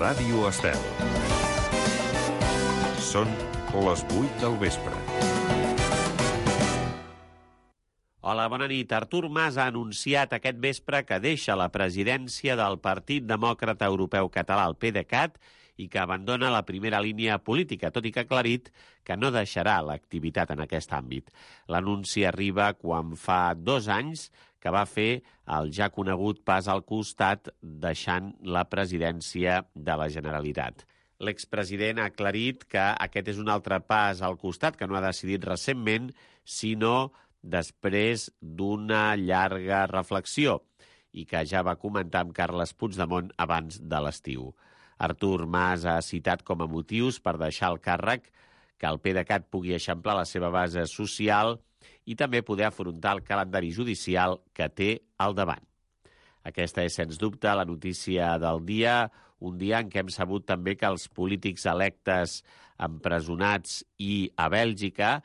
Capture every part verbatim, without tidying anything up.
Ràdio Estel. Són les vuit del vespre. Hola, bona nit. Artur Mas ha anunciat aquest vespre que deixa la presidència del Partit Demòcrata Europeu Català, el PDeCAT, i que abandona la primera línia política, tot i que ha aclarit que no deixarà l'activitat en aquest àmbit. L'anunci arriba quan fa dos anys que va fer el ja conegut pas al costat, deixant la presidència de la Generalitat. L'expresident ha aclarit que aquest és un altre pas al costat, que no ha decidit recentment, sinó després d'una llarga reflexió i que ja va comentar amb Carles Puigdemont abans de l'estiu. Artur Mas ha citat com a motius per deixar el càrrec que el PDeCAT pugui eixamplar la seva base social i també poder afrontar el calendari judicial que té al davant. Aquesta és, sens dubte, la notícia del dia, un dia en què hem sabut també que els polítics electes empresonats i a Bèlgica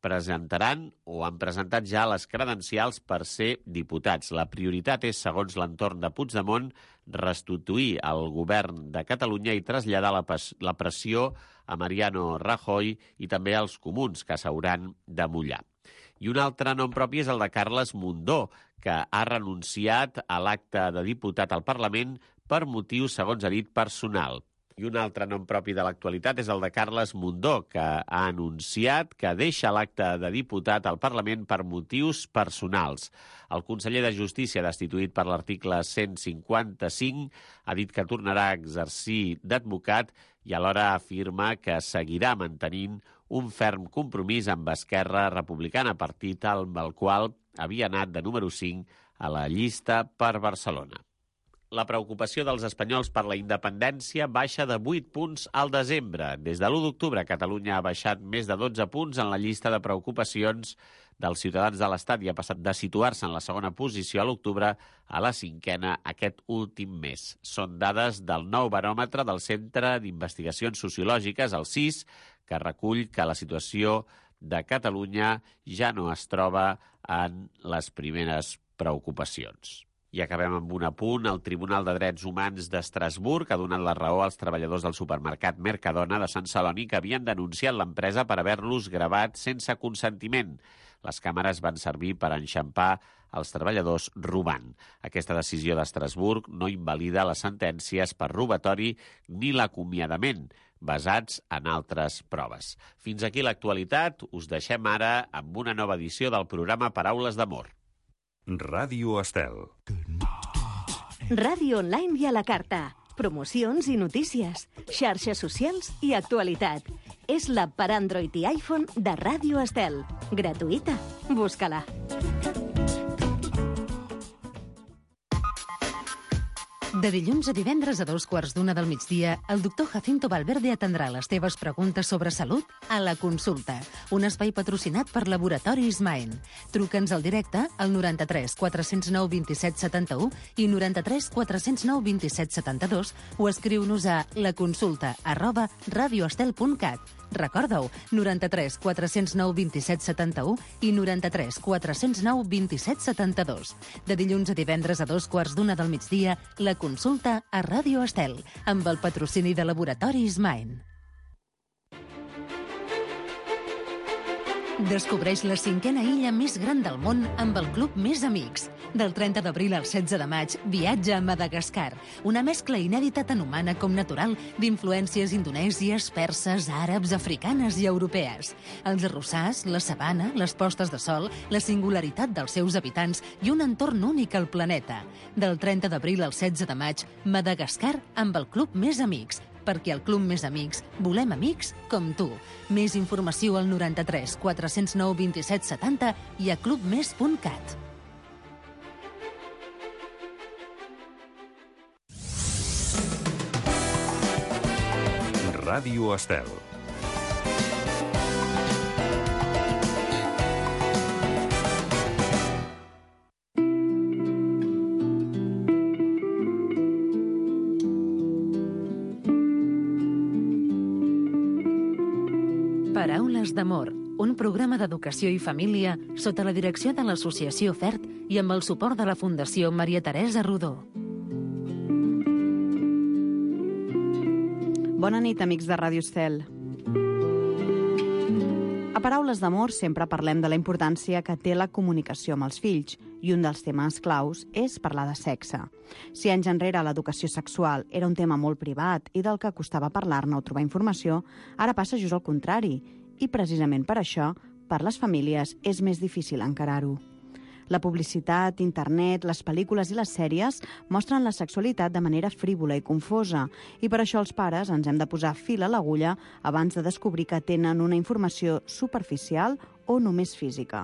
presentaran o han presentat ja les credencials per ser diputats. La prioritat és, segons l'entorn de Puigdemont, restituir el govern de Catalunya i traslladar la, la pressió a Mariano Rajoy i també als comuns, que s'hauran de mullar. I un altre nom propi és el de Carles Mundó, que ha renunciat a l'acte de diputat al Parlament per motius, segons ha dit, personal. I un altre nom propi de l'actualitat és el de Carles Mundó, que ha anunciat que deixa l'acte de diputat al Parlament per motius personals. El conseller de Justícia, destituït per l'article cent cinquanta-cinc, ha dit que tornarà a exercir d'advocat i alhora afirma que seguirà mantenint un ferm compromís amb Esquerra Republicana, partit amb el qual havia anat de número cinc a la llista per Barcelona. La preocupació dels espanyols per la independència baixa de vuit punts al desembre. Des de l'u d'octubre, Catalunya ha baixat més de dotze punts en la llista de preocupacions dels ciutadans de l'Estat i ha passat de situar-se en la segona posició a l'octubre a la cinquena aquest últim mes. Són dades del nou baròmetre del Centre d'Investigacions Sociològiques, el C I S, que recull que la situació de Catalunya ja no es troba en les primeres preocupacions. I acabem amb un apunt. El Tribunal de Drets Humans d'Estrasburg ha donat la raó als treballadors del supermercat Mercadona de Sant Celoni que havien denunciat l'empresa per haver-los gravat sense consentiment. Les càmeres van servir per enxampar els treballadors robant. Aquesta decisió d'Estrasburg no invalida les sentències per robatori ni l'acomiadament, basats en altres proves. Fins aquí l'actualitat. Us deixem ara amb una nova edició del programa Paraules d'Amor. Ràdio Estel. Ràdio online i a la carta. Promocions i notícies. Xarxes socials i actualitat. És l'app per Android i iPhone de Ràdio Estel. Gratuïta. Busca-la. De dilluns a divendres a dos quarts d'una del migdia, el doctor Jacinto Valverde atendrà les teves preguntes sobre salut a La Consulta, un espai patrocinat per Laboratoris Maen. Truca'ns al directe al noranta-tres quatre zero nou vint set setanta-u i noranta-tres quatre zero nou vint set setanta-dos o escriu-nos a laconsulta arroba radioestel punt cat. Recorda-ho, noranta-tres quatre zero nou vint set setanta-u i noranta-tres quatre zero nou vint set setanta-dos. De dilluns a divendres a dos quarts d'una del migdia, La Consulta a Ràdio Estel, amb el patrocini de Laboratoris Maen. Descobreix la cinquena illa més gran del món amb el Club Més Amics. Del trenta d'abril al setze de maig, viatja a Madagascar, una mescla inèdita tant humana com natural d'influències indonèsies, perses, àrabs, africanes i europees. Els arrossars, la sabana, les postes de sol, la singularitat dels seus habitants i un entorn únic al planeta. Del trenta d'abril al setze de maig, Madagascar amb el Club Més Amics, perquè al Club Més Amics volem amics com tu. Més informació al noranta-tres quatre zero nou vint set setanta i a clubmes punt cat. Ràdio Estel. Paraules d'Amor, un programa d'educació i família sota la direcció de l'Associació FERT i amb el suport de la Fundació Maria Teresa Rodó. Bona nit, amics de Ràdio Estel. A Paraules d'amor sempre parlem de la importància que té la comunicació amb els fills i un dels temes claus és parlar de sexe. Si anys enrere l'educació sexual era un tema molt privat i del que costava parlar-ne o trobar informació, ara passa just al contrari i precisament per això, per les famílies, és més difícil encarar-ho. La publicitat, internet, les pel·lícules i les sèries mostren la sexualitat de manera frívola i confosa i per això els pares ens hem de posar fil a l'agulla abans de descobrir que tenen una informació superficial o només física.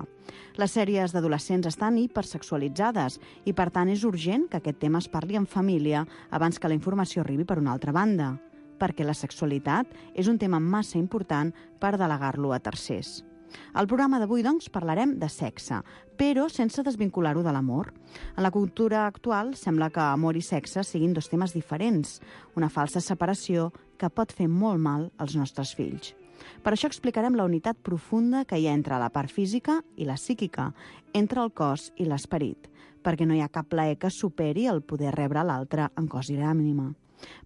Les sèries d'adolescents estan hipersexualitzades i per tant és urgent que aquest tema es parli en família abans que la informació arribi per una altra banda, perquè la sexualitat és un tema massa important per delegar-lo a tercers. Al programa d'avui, doncs, parlarem de sexe, però sense desvincular-ho de l'amor. En la cultura actual sembla que amor i sexe siguin dos temes diferents, una falsa separació que pot fer molt mal als nostres fills. Per això explicarem la unitat profunda que hi ha entre la part física i la psíquica, entre el cos i l'esperit, perquè no hi ha cap plaer que superi el poder rebre l'altre en cos i ànima.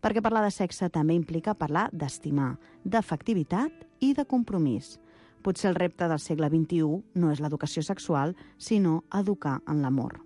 Perquè parlar de sexe també implica parlar d'estimar, d'afectivitat i de compromís. Potser el repte del segle vint-i-u no és l'educació sexual, sinó educar en l'amor.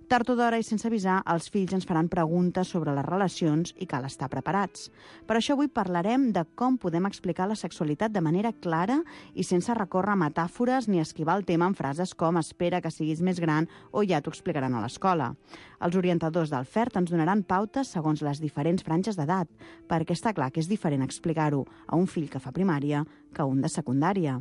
Tard o d'hora i sense avisar, els fills ens faran preguntes sobre les relacions i cal estar preparats. Per això avui parlarem de com podem explicar la sexualitat de manera clara i sense recórrer a metàfores ni esquivar el tema en frases com «espera que siguis més gran» o «ja t'ho explicaran a l'escola». Els orientadors del F E R T ens donaran pautes segons les diferents franges d'edat, perquè està clar que és diferent explicar-ho a un fill que fa primària que a un de secundària.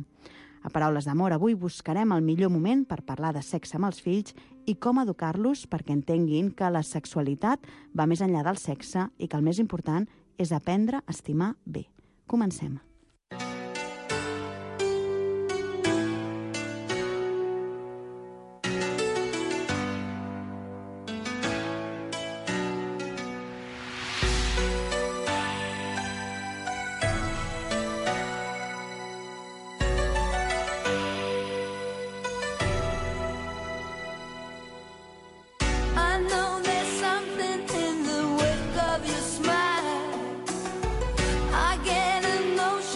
A Paraules d'amor, avui buscarem el millor moment per parlar de sexe amb els fills i com educar-los perquè entenguin que la sexualitat va més enllà del sexe i que el més important és aprendre a estimar bé. Comencem. I get emotional.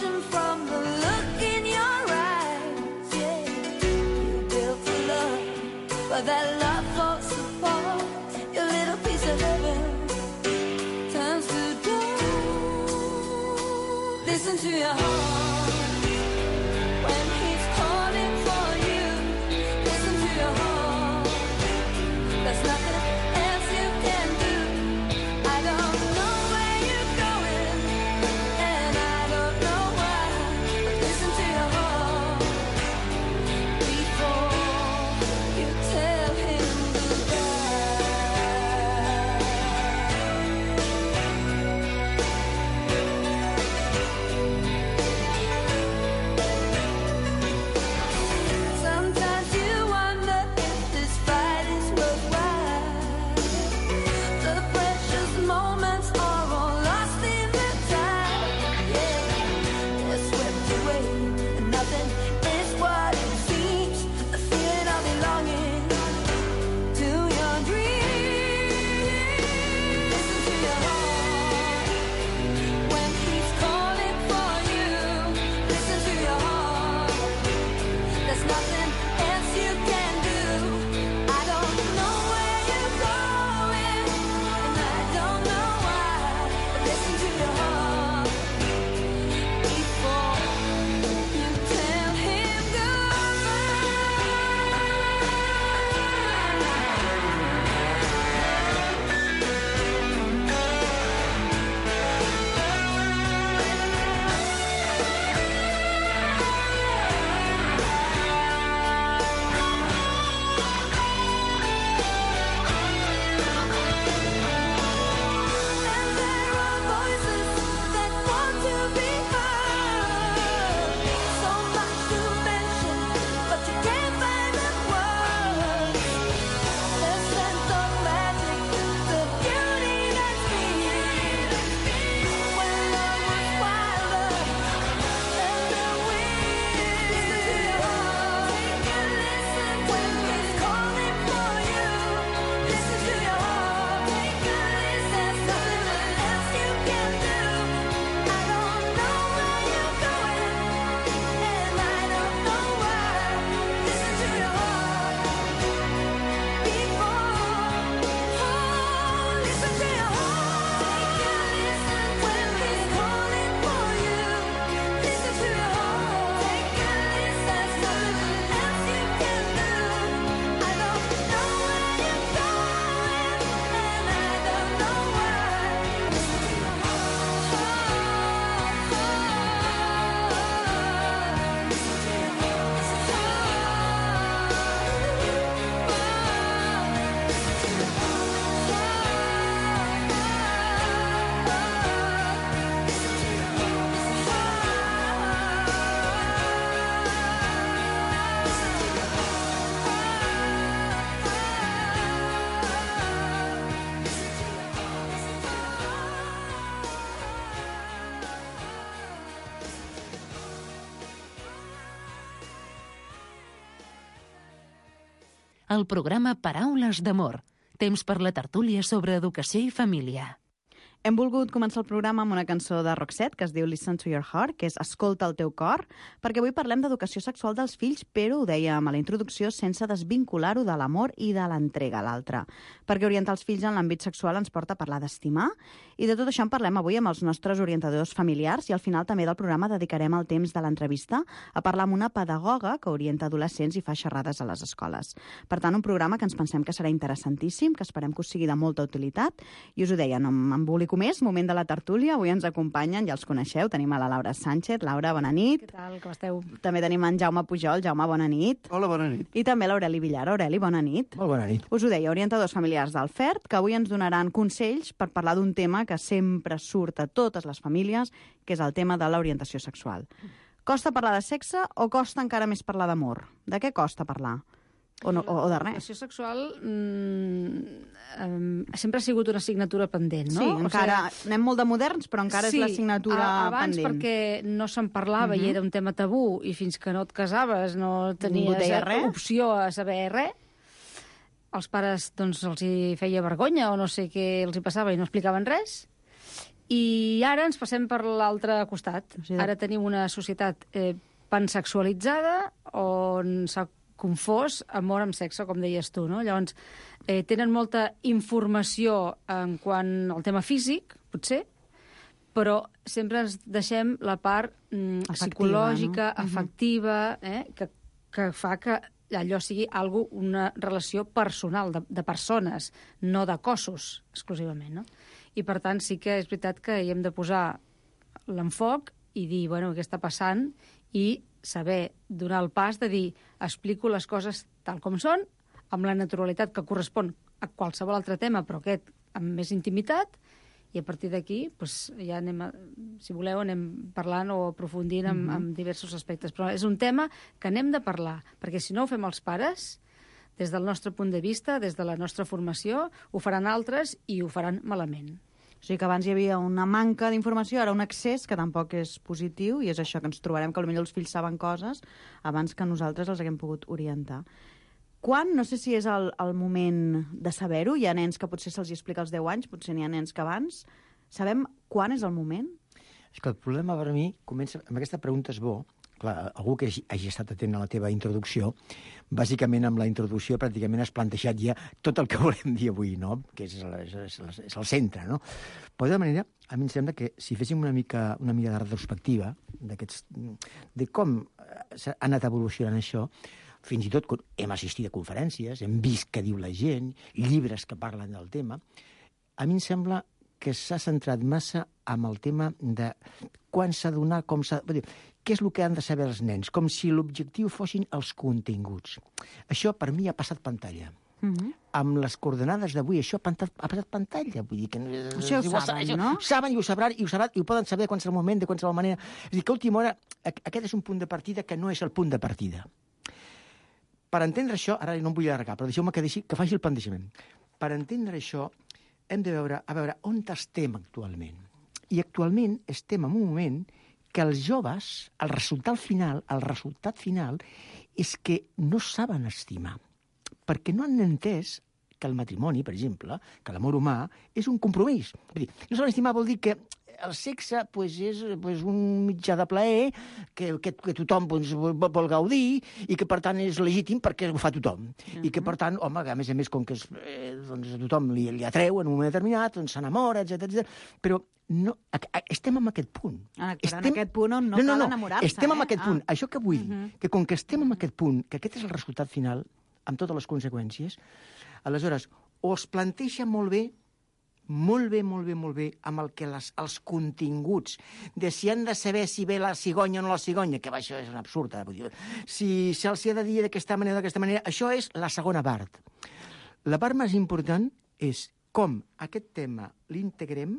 el programa Paraules d'Amor, temps per la tertúlia sobre educació i família. Hem volgut començar el programa amb una cançó de Roxette que es diu Listen to your heart, que és Escolta el teu cor, perquè avui parlem d'educació sexual dels fills, però ho dèiem a la introducció sense desvincular-ho de l'amor i de l'entrega a l'altre. Perquè orientar els fills en l'àmbit sexual ens porta a parlar d'estimar, i de tot això en parlem avui amb els nostres orientadors familiars, i al final també del programa dedicarem el temps de l'entrevista a parlar amb una pedagoga que orienta adolescents i fa xerrades a les escoles. Per tant, un programa que ens pensem que serà interessantíssim, que esperem que us sigui de molta utilitat, i us ho deia, no m'embolico més, moment de la tertúlia. Avui ens acompanyen, ja els coneixeu, tenim a la Laura Sánchez. Laura, bona nit. Què tal, com esteu? També tenim en Jaume Pujol. Jaume, bona nit. Hola, bona nit. I també l'Aureli Villar. Aureli, bona nit. Molt bona nit. Us ho deia, orientadors familiars del F E R T, que avui ens donaran consells per parlar d'un tema que sempre surt a totes les famílies, que és el tema de l'orientació sexual. Costa parlar de sexe o costa encara més parlar d'amor? De què costa parlar? O, no, o de res? L'educació sexual mm, um, sempre ha sigut una assignatura pendent, no? Sí, encara o sigui, anem molt de moderns, però encara sí, és l'assignatura abans pendent. perquè no se'n parlava uh -huh. i era un tema tabú, i fins que no et casaves no tenies opció a saber res. Els pares doncs, els hi feia vergonya o no sé què els hi passava i no explicaven res. I ara ens passem per l'altre costat. O sigui, ara tenim una societat eh, pansexualitzada on s'ha confós amor amb sexe, com deies tu, no? Llavors, eh, tenen molta informació en quant al tema físic, potser, però sempre ens deixem la part mm, Afectiva, psicològica, no? afectiva, eh, que, que fa que allò sigui algo, una relació personal, de, de persones, no de cossos, exclusivament, no? I, per tant, sí que és veritat que hi hem de posar l'enfoc i dir, bueno, què està passant, i saber donar el pas de dir explico les coses tal com són, amb la naturalitat que correspon a qualsevol altre tema, però aquest amb més intimitat, i a partir d'aquí doncs, ja anem, a, si voleu, anem parlant o aprofundint en, mm-hmm. en diversos aspectes. Però és un tema que n'hem de parlar, perquè si no ho fem els pares, des del nostre punt de vista, des de la nostra formació, ho faran altres i ho faran malament. O sigui que abans hi havia una manca d'informació, ara un accés que tampoc és positiu, i és això que ens trobarem, que potser els fills saben coses abans que nosaltres els haguem pogut orientar. Quan, no sé si és el, el moment de saber-ho, hi ha nens que potser se'ls explica als deu anys, potser n'hi ha nens que abans. Sabem quan és el moment? És que el problema per mi comença amb aquesta pregunta, és bo. Clar, algú que hagi, hagi estat atent a la teva introducció, bàsicament amb la introducció pràcticament has plantejat ja tot el que volem dir avui, no? Que és, és, és, és el centre, no? Però de manera, a mi em sembla que si féssim una mica una mica de retrospectiva d'aquests, de com ha anat evolucionant això, fins i tot hem assistit a conferències, hem vist què diu la gent, llibres que parlen del tema, a mi em sembla que s'ha centrat massa amb el tema de quan s'ha de donar, com s'ha de... Què és el que han de saber els nens? Com si l'objectiu fossin els continguts. Això, per mi, ha passat pantalla. Uh-huh. Amb les coordenades d'avui, això ha, pantat, ha passat pantalla. Vull dir que... Això ho saben, això, no? Ho saben i ho sabran, i ho sabran, i ho poden saber a qualsevol moment, de qualsevol manera. És a dir, que a última hora, aquest és un punt de partida que no és el punt de partida. Per entendre això, ara no em vull allargar, però deixeu-me que, deixi, que faci el plantejament. Per entendre això, hem de veure, a veure on estem actualment. I actualment estem en un moment que els joves, el resultat final, el resultat final és que no saben estimar, perquè no han entès que el matrimoni, per exemple, que l'amor humà, és un compromís. Vull dir, no saben estimar vol dir que el sexe pues, és pues, un mitjà de plaer que, que, que tothom pues, vol gaudir i que, per tant, és legítim perquè ho fa tothom. Uh-huh. I que, per tant, home, a més a més, com que es, eh, doncs, a tothom li, li atreu en un moment determinat, doncs s'enamora, etcètera, etcètera. Però no, estem en aquest punt. Ah, estem... en aquest punt on no, no, no cal no, enamorar-se. Estem eh? en aquest punt. Ah. Això que vull, uh-huh. que com que estem en aquest punt, que aquest és el resultat final, amb totes les conseqüències, aleshores, o es planteja molt bé, molt bé, molt bé, molt bé, amb el que les, els continguts de si han de saber si ve la cigonya o no la cigonya, que això és un absurd, eh? Vull dir, si se'ls ha de dir d'aquesta manera o d'aquesta manera, això és la segona part. La part més important és com aquest tema l'integrem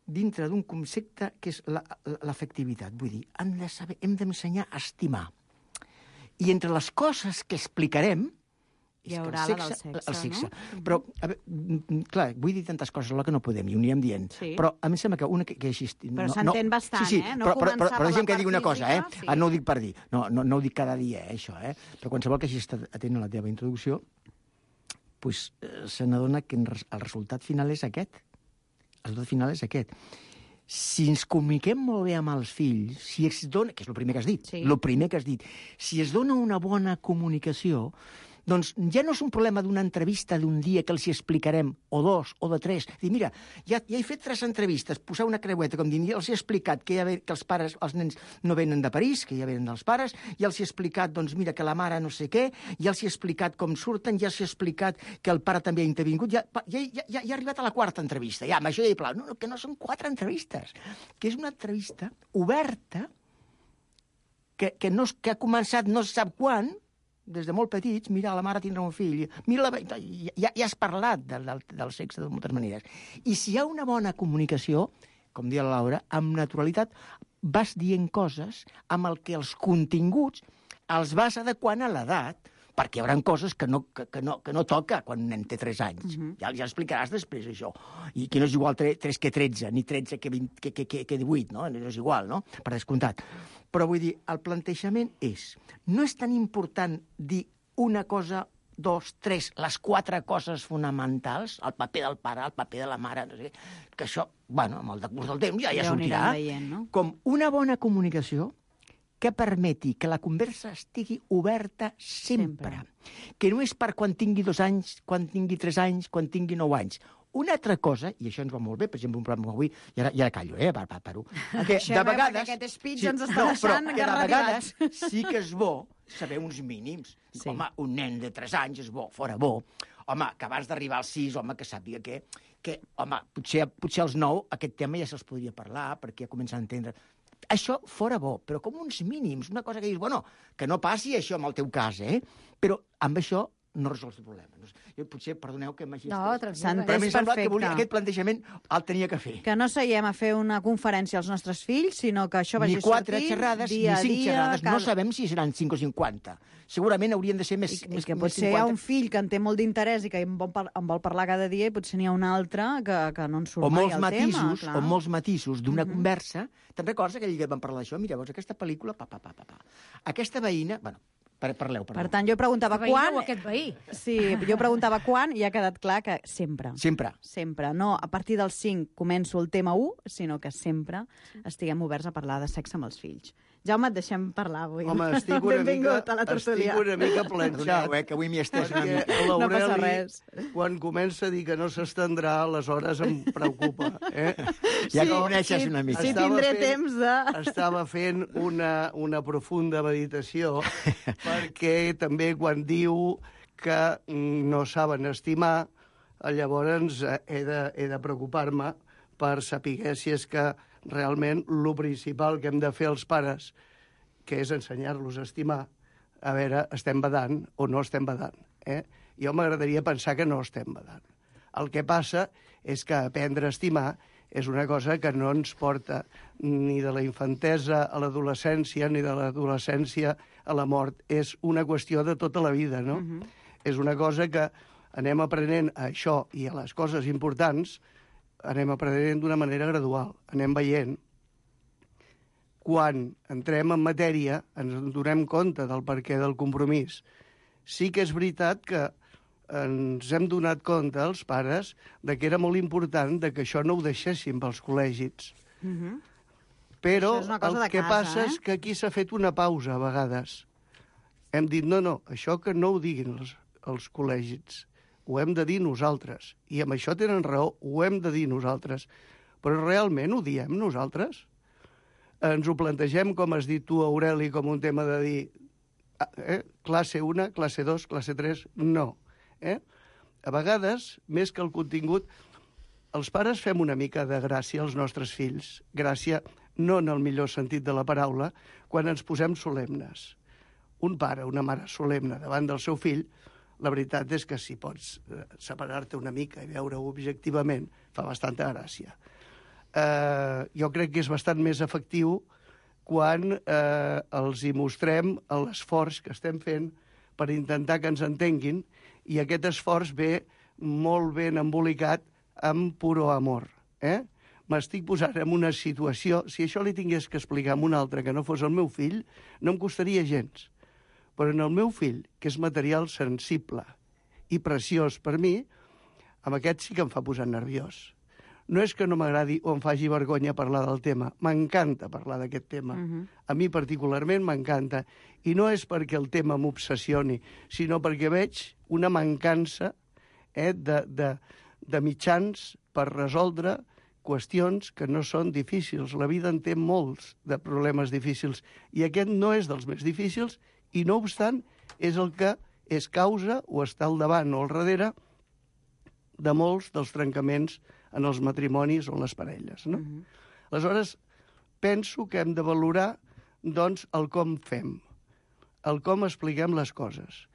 dintre d'un concepte que és l'afectivitat. Vull dir, hem de saber, hem d'ensenyar a estimar. I entre les coses que explicarem, Hi és que haurà el la del sexe, sexe, el sexe. no? Però, a veure, mm, mm, clar, vull dir tantes coses alhora que no podem, i ho anirem dient. Sí. Però a mi em sembla que una que, que així... Però s'entén bastant, sí, sí, eh? No però, però, però, començar però per deixa'm la que part digui una cosa, física, eh? sí. Ah, no ho dic per dir, no, no, no ho dic cada dia, eh, això, eh? Però qualsevol que hagi estat atent a la teva introducció, pues, eh, se n'adona que el resultat final és aquest. El resultat final és aquest. Si ens comuniquem molt bé amb els fills, si es dona, que és el primer que has dit, Sí. el primer que has dit, si es dona una bona comunicació, doncs ja no és un problema d'una entrevista d'un dia que els hi explicarem, o dos, o de tres. Dir, mira, ja, ja he fet tres entrevistes, posar una creueta, com dient, ja els he explicat que, ja ve, que els pares, els nens no venen de París, que ja venen dels pares, ja els he explicat, doncs mira, que la mare no sé què, ja els he explicat com surten, ja els he explicat que el pare també ha intervingut, ja, ja, ja, ja, ja ha arribat a la quarta entrevista, ja, amb això ja hi plau. No, no, que no són quatre entrevistes, que és una entrevista oberta, que, que, no, que ha començat no se sap quan, des de molt petits, mira, la mare tindrà un fill, mira, la... ja, ja has parlat del, del, del sexe de moltes maneres. I si hi ha una bona comunicació, com deia la Laura, amb naturalitat vas dient coses amb el que els continguts els vas adequant a l'edat, perquè hi haurà coses que no, que, que no, que no toca quan un nen té tres anys. Uh-huh. Ja, ja explicaràs després, això. I que no és igual tres que tretze, ni tretze que, vint, que, que, que, que divuit, no? No és igual, no? Per descomptat. Però vull dir, el plantejament és... No és tan important dir una cosa, dos, tres, les quatre coses fonamentals, el paper del pare, el paper de la mare, no sé, que això, bueno, amb el decurs del temps ja, ja, ja sortirà. Veient, no? Com una bona comunicació que permeti que la conversa estigui oberta sempre. sempre. Que no és per quan tingui dos anys, quan tingui tres anys, quan tingui nou anys. Una altra cosa, i això ens va molt bé, per exemple, un programa avui, i ara, i ara callo, eh, per, per, per, que de vegades... Aquest speech ens està no, deixant però que de vegades garrativats. sí que és bo saber uns mínims. Sí. Home, un nen de tres anys és bo, fora bo. Home, que abans d'arribar als sis, home, que sàpiga que, que home, potser, potser als nou aquest tema ja se'ls podria parlar, perquè ja comença a entendre... Això fora bo, però com uns mínims, una cosa que dius, bueno, que no passi això en el teu cas, eh? Però amb això no resols el problema. Jo potser, perdoneu que m'hagi... No, tranquil. Però a mi em sembla perfecte. que volia, aquest plantejament el tenia que fer. Que no seiem a fer una conferència als nostres fills, sinó que això vagi Ni quatre sortint xerrades, dia ni cinc a dia, xerrades. cada... No sabem si seran cinc o cinquanta. Segurament haurien de ser més, I, més i que més potser hi ha un fill que en té molt d'interès i que en vol, par en vol parlar cada dia i potser n'hi ha un altre que, que no en surt o mai molts el matisos, tema. o molts matisos d'una Mhm. uh -huh. conversa. Te'n recordes aquell dia que vam parlar d'això? Mira, veus, aquesta pel·lícula... Pa, pa, pa, pa, pa. Aquesta veïna... Bueno, parleu, parleu. Per tant, jo preguntava Veí quan... o aquest veí? Sí, jo preguntava quan i ha quedat clar que sempre. Sempre. Sempre. No a partir del cinc començo el tema u, sinó que sempre estiguem oberts a parlar de sexe amb els fills. Jaume, et deixem parlar avui. Home, estic una, mica, Benvingut a la tertúlia. estic una mica planxat. Perdoneu, eh, que avui m'hi estès una Perquè mica. No passa l'Aureli, res. quan comença a dir que no s'estendrà, aleshores em preocupa. Eh? Ja Sí, que coneixes sí, una mica. Sí, Estava tindré fent- temps de... Estava fent una, una profunda meditació perquè també quan diu que mm, no saben estimar, eh, llavors eh, he de, he de preocupar-me per saber si és que realment el principal que hem de fer els pares, que és ensenyar-los a estimar, a veure, estem badant o no estem badant. Eh? Jo m'agradaria pensar que no estem badant. El que passa és que aprendre a estimar és una cosa que no ens porta ni de la infantesa a l'adolescència, ni de l'adolescència a la mort. És una qüestió de tota la vida, no? Uh-huh. És una cosa que anem aprenent a això i a les coses importants, anem aprenent d'una manera gradual. Anem veient. Quan entrem en matèria, ens donem compte del perquè del compromís. Sí que és veritat que ens hem donat compte, els pares, de que era molt important de que això no ho deixéssim pels col·legis. Uh -huh. Però Això és una cosa el de que casa, passa eh? és que aquí s'ha fet una pausa a vegades. Hem dit, no, no, això que no ho diguin els, els col·legis, ho hem de dir nosaltres. I amb això tenen raó, ho hem de dir nosaltres. Però realment ho diem nosaltres? Ens ho plantegem, com has dit tu, Aureli, com un tema de dir eh, classe una, classe dos, classe tres... No. Eh? A vegades, més que el contingut, els pares fem una mica de gràcia als nostres fills. Gràcia, no en el millor sentit de la paraula, quan ens posem solemnes. Un pare, una mare solemne davant del seu fill, la veritat és que si pots eh, separar-te una mica i veure-ho objectivament, fa bastanta gràcia. Eh, jo crec que és bastant més efectiu quan eh, els hi mostrem l'esforç que estem fent per intentar que ens entenguin I aquest esforç ve molt ben embolicat amb puro amor. Eh? M'estic posant en una situació... Si això li tingués que explicar a un altre que no fos el meu fill, no em costaria gens. Però en el meu fill, que és material sensible i preciós per mi, amb aquest sí que em fa posar nerviós. No és que no m'agradi o em faci vergonya parlar del tema. M'encanta parlar d'aquest tema. Uh-huh. A mi particularment m'encanta. I no és perquè el tema m'obsessioni, sinó perquè veig una mancança eh, de, de, de mitjans per resoldre qüestions que no són difícils. La vida en té molts de problemes difícils i aquest no és dels més difícils i, no obstant, és el que és causa o està al davant o al darrere de molts dels trencaments en els matrimonis o en les parelles. No? Uh-huh. Aleshores, penso que hem de valorar doncs, el com fem, el com expliquem les coses.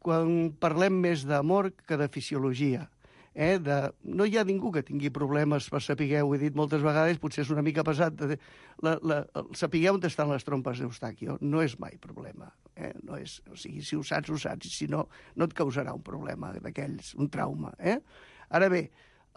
Quan parlem més d'amor que de fisiologia, eh, de... no hi ha ningú que tingui problemes per saber, ho he dit moltes vegades, potser és una mica pesat, de... la, la... saber on estan les trompes d'Eustàquio no és mai problema. Eh? No és... O sigui, si ho saps, ho saps, i si no, no et causarà un problema d'aquells, un trauma. Eh? Ara bé,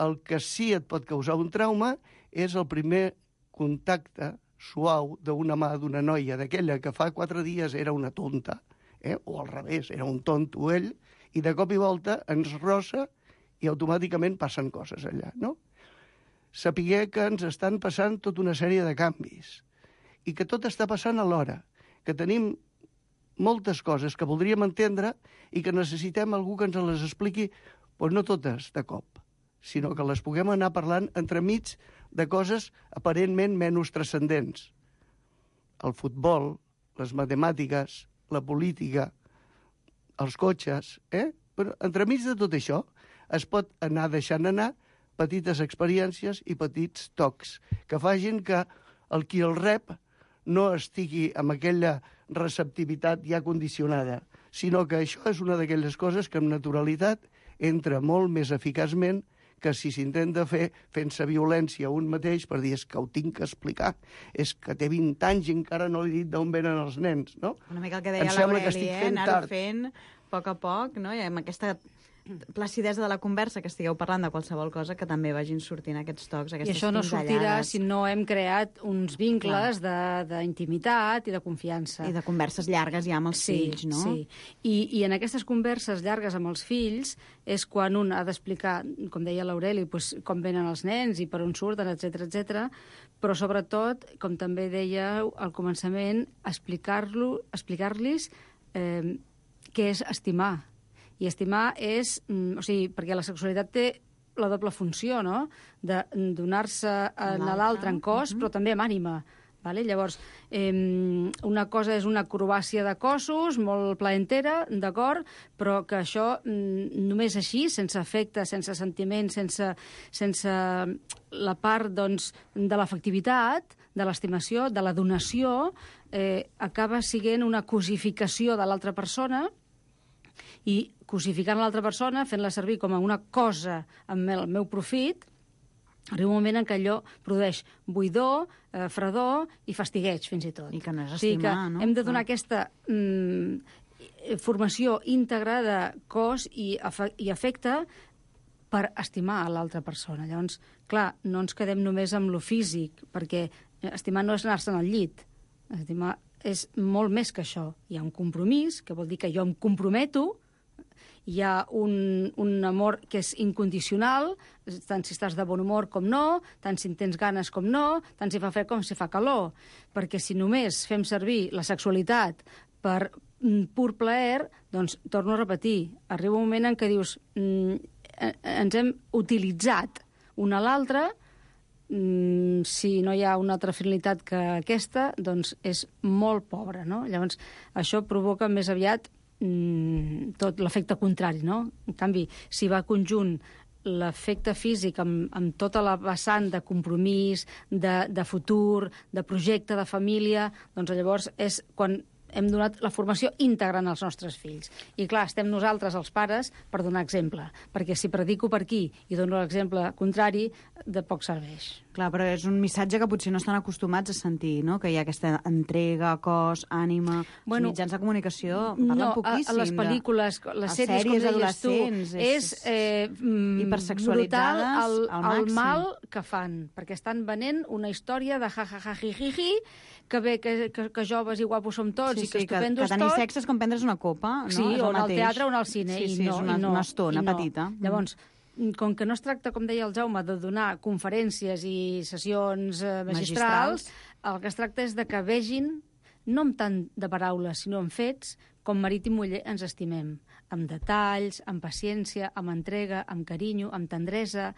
el que sí et pot causar un trauma és el primer contacte suau d'una mà d'una noia, d'aquella que fa quatre dies era una tonta, eh? O al revés, era un tonto ell, i de cop i volta ens rossa i automàticament passen coses allà, no? Sapiguer que ens estan passant tota una sèrie de canvis i que tot està passant alhora, que tenim moltes coses que voldríem entendre i que necessitem algú que ens les expliqui, doncs no totes de cop, sinó que les puguem anar parlant entremig de coses aparentment menys transcendents. El futbol, les matemàtiques, la política, els cotxes, eh? Però entremig de tot això es pot anar deixant anar petites experiències i petits tocs que facin que el qui el rep no estigui amb aquella receptivitat ja condicionada, sinó que això és una d'aquelles coses que amb naturalitat entra molt més eficaçment que si s'intenta fer fent-se violència a un mateix per dir és que ho tinc que explicar, és que té vint anys i encara no he dit d'on venen els nens, no? Una mica el que deia l'Aureli, eh? Anar-ho fent a poc a poc, no? I amb aquesta placidesa de la conversa, que estigueu parlant de qualsevol cosa, que també vagin sortint aquests tocs, aquestes pinzellades. I això no sortirà si no hem creat uns vincles Clar. d'intimitat i de confiança. I de converses llargues ja amb els sí, fills, no? Sí, I, i en aquestes converses llargues amb els fills és quan un ha d'explicar, com deia l'Aureli, pues, com venen els nens i per on surten, etcètera, etcètera. Però sobretot, com també dèieu al començament, explicar-lo, explicar-los eh, què és estimar. I estimar és... O sigui, perquè la sexualitat té la doble funció, no?, de donar-se a l'altre en cos, uh-huh. però també amb ànima. Vale? Llavors, eh, una cosa és una acrobàcia de cossos, molt plaentera, d'acord, però que això mm, només així, sense afecte, sense sentiment, sense, sense la part doncs, de l'afectivitat, de l'estimació, de la donació, eh, acaba sent una cosificació de l'altra persona i cosificant l'altra persona, fent-la servir com a una cosa amb el meu profit, arriba un moment en què allò produeix buidor, eh, fredor i fastigueig, fins i tot. I que no és estimar, o sigui que no? Hem de donar ah. aquesta mm, formació íntegra de cos i, afe i afecte per estimar a l'altra persona. Llavors, clar, no ens quedem només amb lo físic, perquè estimar no és anar-se'n al llit. Estimar és molt més que això. Hi ha un compromís, que vol dir que jo em comprometo, hi ha un, un amor que és incondicional, tant si estàs de bon humor com no, tant si en tens ganes com no, tant si fa fred com si fa calor. Perquè si només fem servir la sexualitat per pur plaer, doncs, torno a repetir, arriba un moment en què dius mm, ens hem utilitzat una a l'altra, mm, si no hi ha una altra finalitat que aquesta, doncs és molt pobra, no? Llavors, això provoca més aviat tot l'efecte contrari, no? En canvi, si va conjunt l'efecte físic amb, amb tota la vessant de compromís, de, de futur, de projecte de família, doncs llavors és quan hem donat la formació íntegra als nostres fills. I clar, estem nosaltres, els pares, per donar exemple, perquè si predico per aquí i dono l'exemple contrari, de poc serveix. Clar, però és un missatge que potser no estan acostumats a sentir, no? Que hi ha aquesta entrega, cos, ànima... Bueno, els mitjans de comunicació parlen no, poquíssim. A, a les pel·lícules, de, les sèries, com deies tu, és, és eh, brutal el, el mal que fan, perquè estan venent una història de ja-ja-ja-ji-ji-ji, que bé, que, que, que joves i guapos som tots, sí, i que sí, estupendos tots. Que tenir tots. sexe és com prendre's una copa, no? Sí, és o anar al mateix. teatre o anar al cine. Sí, sí, i no, és una, i no, una estona i no. petita. Llavors, com que no es tracta, com deia el Jaume, de donar conferències i sessions eh, magistrals, magistrals, el que es tracta és de que vegin, no amb tant de paraules, sinó amb fets, com Marit i Muller ens estimem, amb detalls, amb paciència, amb entrega, amb carinyo, amb tendresa,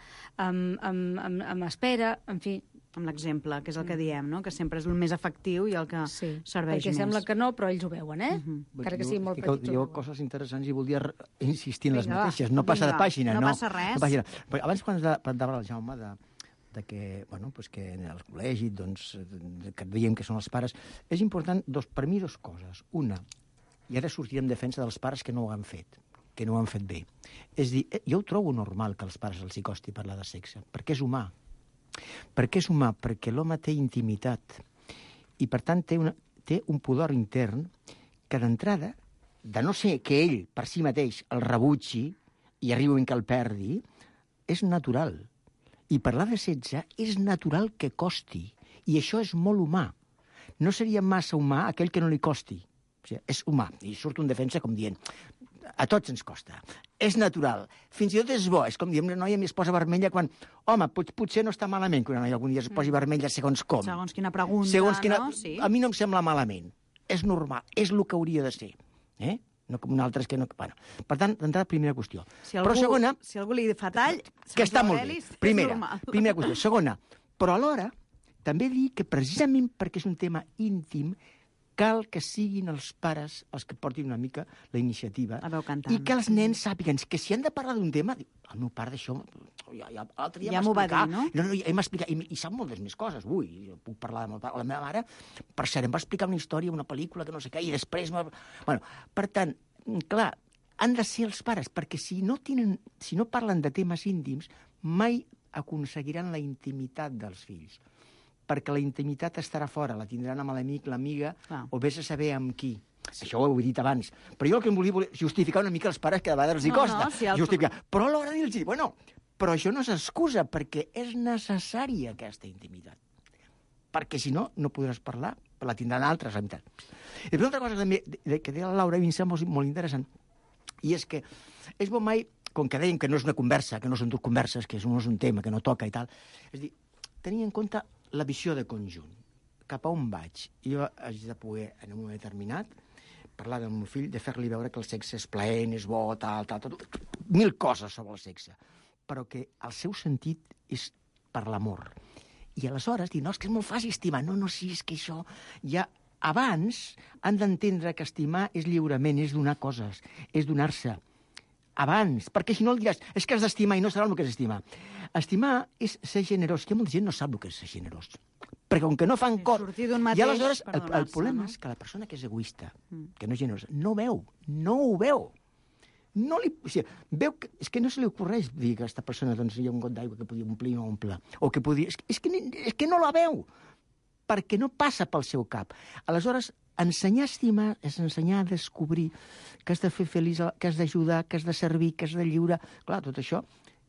amb, amb, amb, amb espera, en fi... Amb l'exemple, que és el que diem, no? Que sempre és el més efectiu i el que sí, serveix perquè més. sembla que no, però ells ho veuen, eh? Uh -huh. Encara que sigui molt petits. Hi ha coses interessants i voldria insistir en les Vinga, mateixes. No passa Vinga, de pàgina, no no. passa res. No pàgina. Però abans, quan parlava el Jaume de, de que, bueno, pues que en el col·legi, doncs, que veiem que són els pares, és important, dos, per mi, dues coses. Una, i ara sortirem en defensa dels pares que no ho han fet, que no ho han fet bé. És dir, jo ho trobo normal que als pares els hi costi parlar de sexe, perquè és humà. Per què és humà? Perquè l'home té intimitat i, per tant, té, una, té un pudor intern que, d'entrada, de no ser que ell, per si mateix, el rebutgi i arribi que el perdi, és natural. I parlar de sexe és natural que costi. I això és molt humà. No seria massa humà aquell que no li costi. O sigui, és humà. I surto en defensa com dient... A tots ens costa. És natural. Fins i tot és bo. És com diem, una noia es posa vermella quan... Home, pot, potser no està malament que una noia algun dia es posi vermella segons com. Segons quina pregunta, segons quina... no? Sí. A mi no em sembla malament. És normal. És el que hauria de ser. Eh? No com altres que no... Bueno, per tant, d'entrada, primera qüestió. Si algú, però segona... Si algú li fa tall... Que està molt bé. Primera, primera qüestió. Segona, però alhora, també dir que precisament perquè és un tema íntim, cal que siguin els pares els que portin una mica la iniciativa i que els nens sàpiguen que si han de parlar d'un tema, el meu pare d'això ja, ja, l'altre dia ja m'ho va dir, no? No, no, ja m'ha i, i sap moltes més coses. Ui, jo puc parlar amb el pare. La meva mare, per cert, em va explicar una història, una pel·lícula, que no sé què, i després... Bueno, per tant, clar, han de ser els pares, perquè si no, tenen, si no parlen de temes íntims, mai aconseguiran la intimitat dels fills. Perquè la intimitat estarà fora, la tindran amb l'amic, l'amiga, o vés a saber amb qui. Sí. Això ho he dit abans. Però jo el que em volia justificar una mica els pares, que de vegades els hi costa. No, no, si el... Justificar. Però a l'hora de dir-los, bueno, però això no és excusa, perquè és necessària aquesta intimitat. Perquè si no, no podràs parlar, la tindran altres. I una altra cosa també que deia la Laura, a mi em sembla molt interessant, i és que és bo mai, com que dèiem que no és una conversa, que no són dues converses, que no és un tema, que no toca i tal, és dir, tenir en compte la visió de conjunt. Cap a on vaig? Jo haig de poder, en un moment determinat, parlar del meu fill, de fer-li veure que el sexe és plaent, és bo, tal, tal, tal, mil coses sobre el sexe, però que el seu sentit és per l'amor. I aleshores dir, no, és que és molt fàcil estimar. No, no, sí, és que això ja... Abans han d'entendre que estimar és lliurement, és donar coses, és donar-se. Abans, perquè si no el diràs, és que has d'estimar i no sabràs el que és estimar. Estimar és ser generós. Hi ha molta gent que no sap el que és ser generós. Perquè com que no fan cor... I aleshores el, el problema no? és que la persona que és egoista, que no és generosa, no veu, no ho veu. No li, o sigui, veu que, és que no se li ocorreix dir que aquesta persona doncs, hi ha un got d'aigua que podia omplir i no omple. O que podia... És, és, que, és que no la veu, perquè no passa pel seu cap. Aleshores, ensenyar a estimar és ensenyar a descobrir que has de fer feliç, que has d'ajudar, que has de servir, que has de lliurar. Clar, tot això,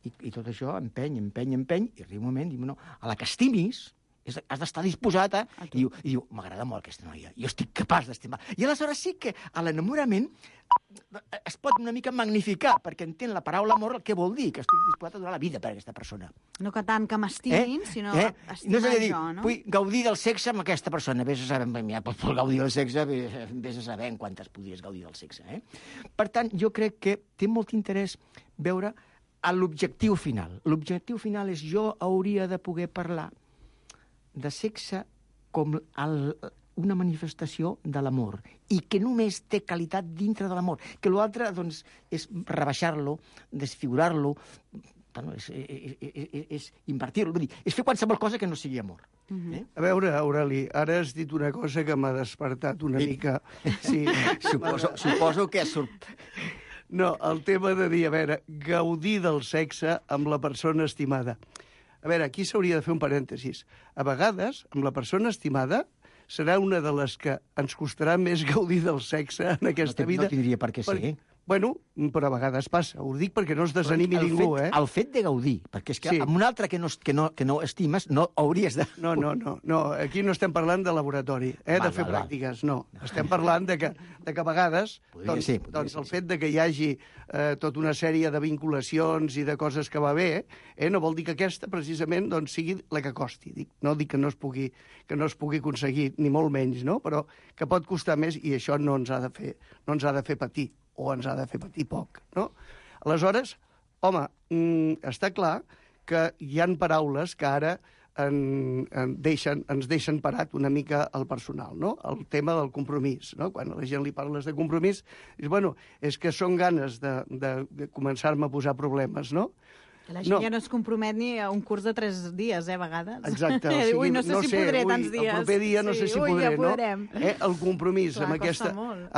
i, i tot això empeny, empeny, empeny, i arriba un moment, diu, no, a la que estimis, és, has d'estar disposat a... I diu, i diu m'agrada molt aquesta noia, jo estic capaç d'estimar. I aleshores sí que a l'enamorament es pot una mica magnificar, perquè entén la paraula amor el que vol dir, que estic disposat a donar la vida per a aquesta persona. No que tant que m'estimin, eh? sinó eh? estimar no dir, jo, no? Vull gaudir del sexe amb aquesta persona. Vés a saber, ja pots gaudir del sexe, vés a saber en quantes podries gaudir del sexe. Eh? Per tant, jo crec que té molt interès veure l'objectiu final. L'objectiu final és jo hauria de poder parlar de sexe com el, una manifestació de l'amor i que només té qualitat dintre de l'amor, que l'altre doncs, és rebaixar-lo, desfigurar-lo, bueno, és, és, és, és invertir-lo, vull dir, és fer qualsevol cosa que no sigui amor. Mm-hmm. eh? A veure, Aureli, ara has dit una cosa que m'ha despertat una sí. mica. Sí. suposo, suposo que... Surt... No, el tema de dir, a veure, gaudir del sexe amb la persona estimada. A veure, aquí s'hauria de fer un parèntesis. A vegades, amb la persona estimada, serà una de les que ens costarà més gaudir del sexe en aquesta no, vida. No tindria per què ser. Per... Bueno, però a vegades passa. Ho dic perquè no es desanimi el ningú, fet, eh? El fet de gaudir, perquè és que sí. amb un altre que no, que, no, que no estimes no hauries de... No, no, no, no. Aquí no estem parlant de laboratori, eh, val, de fer val, pràctiques, no. Estem parlant de que, de que a vegades podria doncs, ser, podria doncs el ser. fet de que hi hagi eh, tota una sèrie de vinculacions i de coses que va bé, eh, no vol dir que aquesta precisament doncs, sigui la que costi. Dic, no dic que no es pugui que no es pugui aconseguir, ni molt menys, no? Però que pot costar més i això no ens ha de fer, no ens ha de fer patir, o ens ha de fer patir poc, no? Aleshores, home, mm, està clar que hi han paraules que ara en, en deixen, ens deixen parat una mica el personal, no? El tema del compromís, no? Quan a la gent li parles de compromís, dius, bueno, és que són ganes de, de, de començar-me a posar problemes, no? La gent no. ja no es compromet ni a un curs de tres dies, eh, a vegades. Exacte. O sigui, ui, no sé no si sé, podré ui, tants dies. El proper dia no sí, sé si ui, podré, ja podrem. no? Eh, el compromís Clar, amb, aquesta,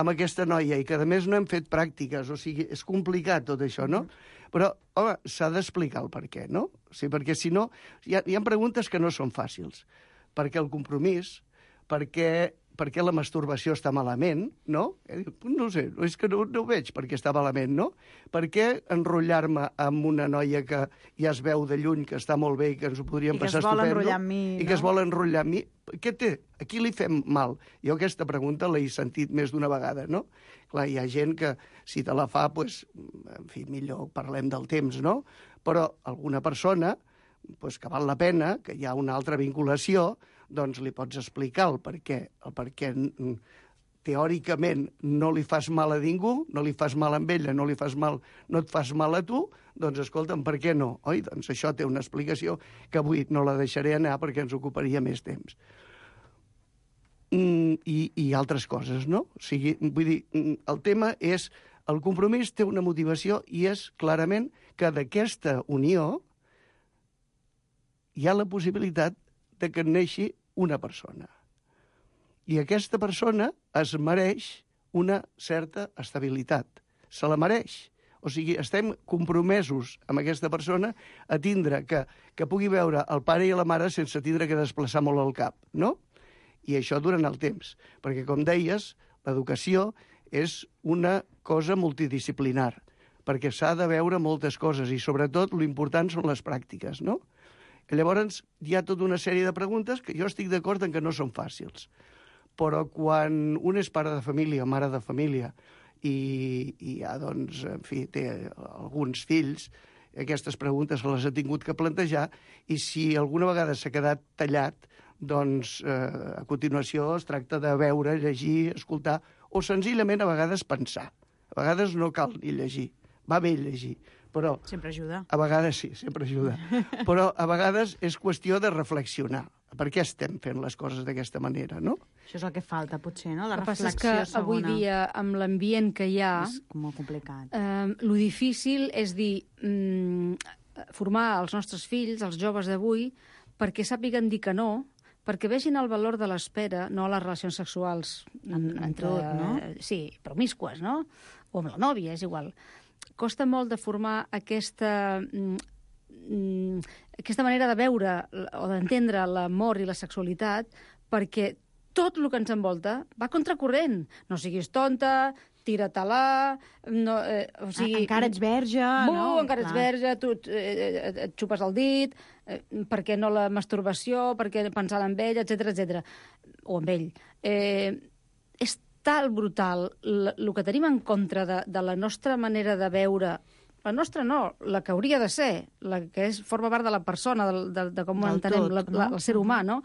amb aquesta noia, i que a més no hem fet pràctiques, o sigui, és complicat tot això, no? Mm. Però, home, s'ha d'explicar el per què, no? O sigui, perquè si no, hi ha, hi ha preguntes que no són fàcils. Perquè el compromís, perquè... per què la masturbació està malament, no? No sé, és que no, no ho veig per què està malament, no? Per què enrotllar-me amb una noia que ja es veu de lluny, que està molt bé i que ens ho podríem passar estupendo... I que es vol enrotllar amb mi, I no? que es vol enrotllar amb mi. Què té? A qui li fem mal? Jo aquesta pregunta l'he sentit més d'una vegada, no? Clar, hi ha gent que, si te la fa, doncs, en fi, millor parlem del temps, no? Però alguna persona, doncs, que val la pena, que hi ha una altra vinculació, doncs li pots explicar el per què, el per què teòricament no li fas mal a ningú, no li fas mal a ella, no li fas mal, no et fas mal a tu, doncs escolta'm, per què no? Oi? Doncs això té una explicació que avui no la deixaré anar perquè ens ocuparia més temps. Mm, i, i altres coses, no? O sigui, vull dir, el tema és, el compromís té una motivació i és clarament que d'aquesta unió hi ha la possibilitat de que neixi una persona. I aquesta persona es mereix una certa estabilitat. Se la mereix. O sigui, estem compromesos amb aquesta persona a tindre que, que pugui veure el pare i la mare sense tindre que desplaçar molt el cap, no? I això durant el temps. Perquè, com deies, l'educació és una cosa multidisciplinar, perquè s'ha de veure moltes coses i, sobretot, l'important són les pràctiques, no? Llavors, hi ha tota una sèrie de preguntes que jo estic d'acord en que no són fàcils. Però quan un és pare de família, mare de família, i, i ja, doncs, en fi, té alguns fills, aquestes preguntes se les ha tingut que plantejar, i si alguna vegada s'ha quedat tallat, doncs, eh, a continuació es tracta de veure, llegir, escoltar, o senzillament a vegades pensar. A vegades no cal ni llegir, va bé llegir. Però sempre ajuda. A vegades sí, sempre ajuda. Però a vegades és qüestió de reflexionar. Per què estem fent les coses d'aquesta manera, no? Això és el que falta, potser, no? La el reflexió segona. El que passa és que avui dia, amb l'ambient que hi ha... És molt complicat. Eh, lo difícil és dir, mm, formar els nostres fills, els joves d'avui, perquè sàpiguen dir que no, perquè vegin el valor de l'espera, no a les relacions sexuals en, en entre, tot, no? Sí, promíscues, no? O amb la nòvia, és igual. Costa molt de formar aquesta, mm, aquesta manera de veure o d'entendre l'amor i la sexualitat, perquè tot el que ens envolta va contracorrent. No siguis tonta, tira-te-la... No, eh, o sigui, encara ets verge, bu, no? encara ets verge, tu eh, et xupes el dit, eh, per què no la masturbació, per què pensar en ell, etcètera, etcètera. O amb ell. Eh, és tal brutal el que tenim en contra de, de la nostra manera de veure, la nostra no, la que hauria de ser, la que és, forma part de la persona, de, de, de com Del entenem tot, la, no? la, el ser humà, no?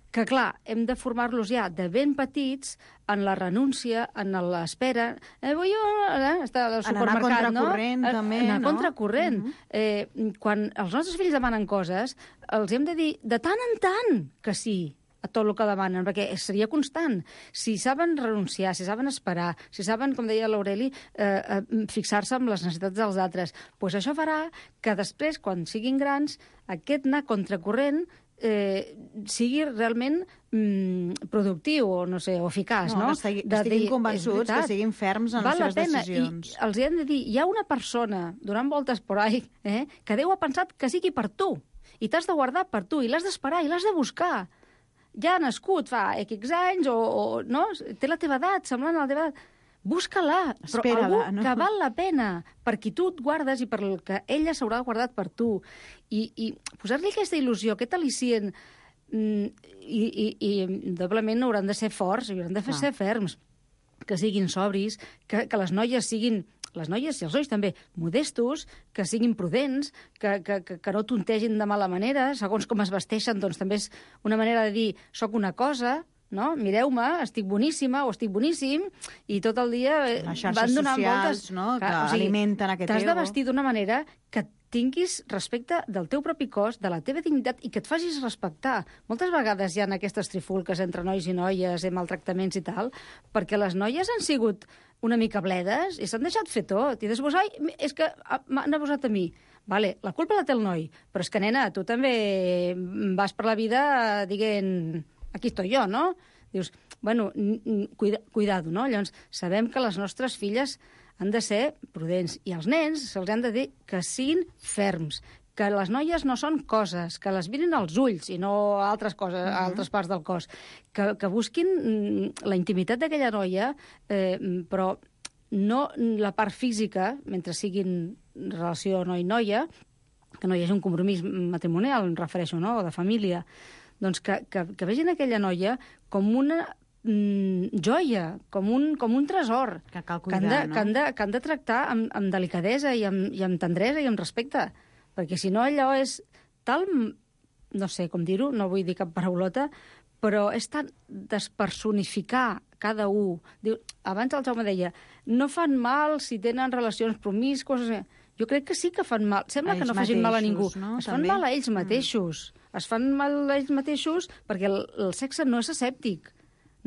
Que, clar, hem de formar-los ja de ben petits en la renúncia, en l'espera. Eh, vull jo, eh, estar al supermercat, no? En anar contracorrent, també, anar no? contracorrent. Uh -huh. eh, quan els nostres fills demanen coses, els hem de dir de tant en tant que sí a a tot el que demanen, perquè seria constant. Si saben renunciar, si saben esperar, si saben, com deia l'Aureli, eh, eh, fixar-se en les necessitats dels altres, doncs això farà que després, quan siguin grans, aquest anar contracorrent eh, sigui realment mm, productiu o, no sé, o eficaç, no? no? Que estigui, que estiguin convençuts, que siguin ferms en val les seves pena. decisions. I els hi hem de dir, hi ha una persona donant voltes por ahí eh, que Déu ha pensat que sigui per tu, i t'has de guardar per tu, i l'has d'esperar, i l'has de buscar. Ja ha nascut fa X anys, o, o no? Té la teva edat, semblant a la teva edat. Busca-la, però algú no? que val la pena, per qui tu et guardes i per el que ella s'haurà guardat per tu. I, i posar-li aquesta il·lusió, aquest al·licient, mm, i, i, i doblement hauran de ser forts, hauran de fer ser ferms, que siguin sobris, que, que les noies siguin, les noies i els nois també, modestos, que siguin prudents, que, que, que, que no tontegin de mala manera, segons com es vesteixen, doncs també és una manera de dir, soc una cosa, no? Mireu-me, estic boníssima o estic boníssim, i tot el dia les van donant socials, voltes. No? Que o sigui, alimenten aquest ego. T'has de vestir d'una manera que tinguis respecte del teu propi cos, de la teva dignitat, i que et facis respectar. Moltes vegades hi ha aquestes trifulques entre nois i noies, eh, maltractaments i tal, perquè les noies han sigut una mica bledes i s'han deixat fer tot. I després, ai, és que m'han abusat a mi. Vale, la culpa la té el noi, però és que, nena, tu també vas per la vida dient, aquí estoy jo, no? Dius, bueno, cuida, cuidado, no? Llavors, sabem que les nostres filles han de ser prudents, i als nens se'ls han de dir que siguin ferms, que les noies no són coses, que les mirin als ulls i no a altres coses, a altres parts del cos, que, que busquin la intimitat d'aquella noia, eh, però no la part física, mentre siguin relació noi-noia, que no hi hagi un compromís matrimonial, em refereixo, no?, o de família, doncs que, que, que vegin aquella noia com una mm, joia, com un, com un tresor, que cal cuidar, que han de, no? que han de, que han de tractar amb, amb delicadesa i amb, i amb tendresa i amb respecte, perquè si no allò és tal, no sé com dir-ho, no vull dir cap paraulota, però és tan despersonificar cada un. Diu, abans el Jaume deia, no fan mal si tenen relacions promíscues. Jo crec que sí que fan mal. Sembla a que no mateixos, facin mal a ningú. No? Es També? fan mal a ells mateixos. Mm. Es fan mal a ells mateixos perquè el, el sexe no és asèptic.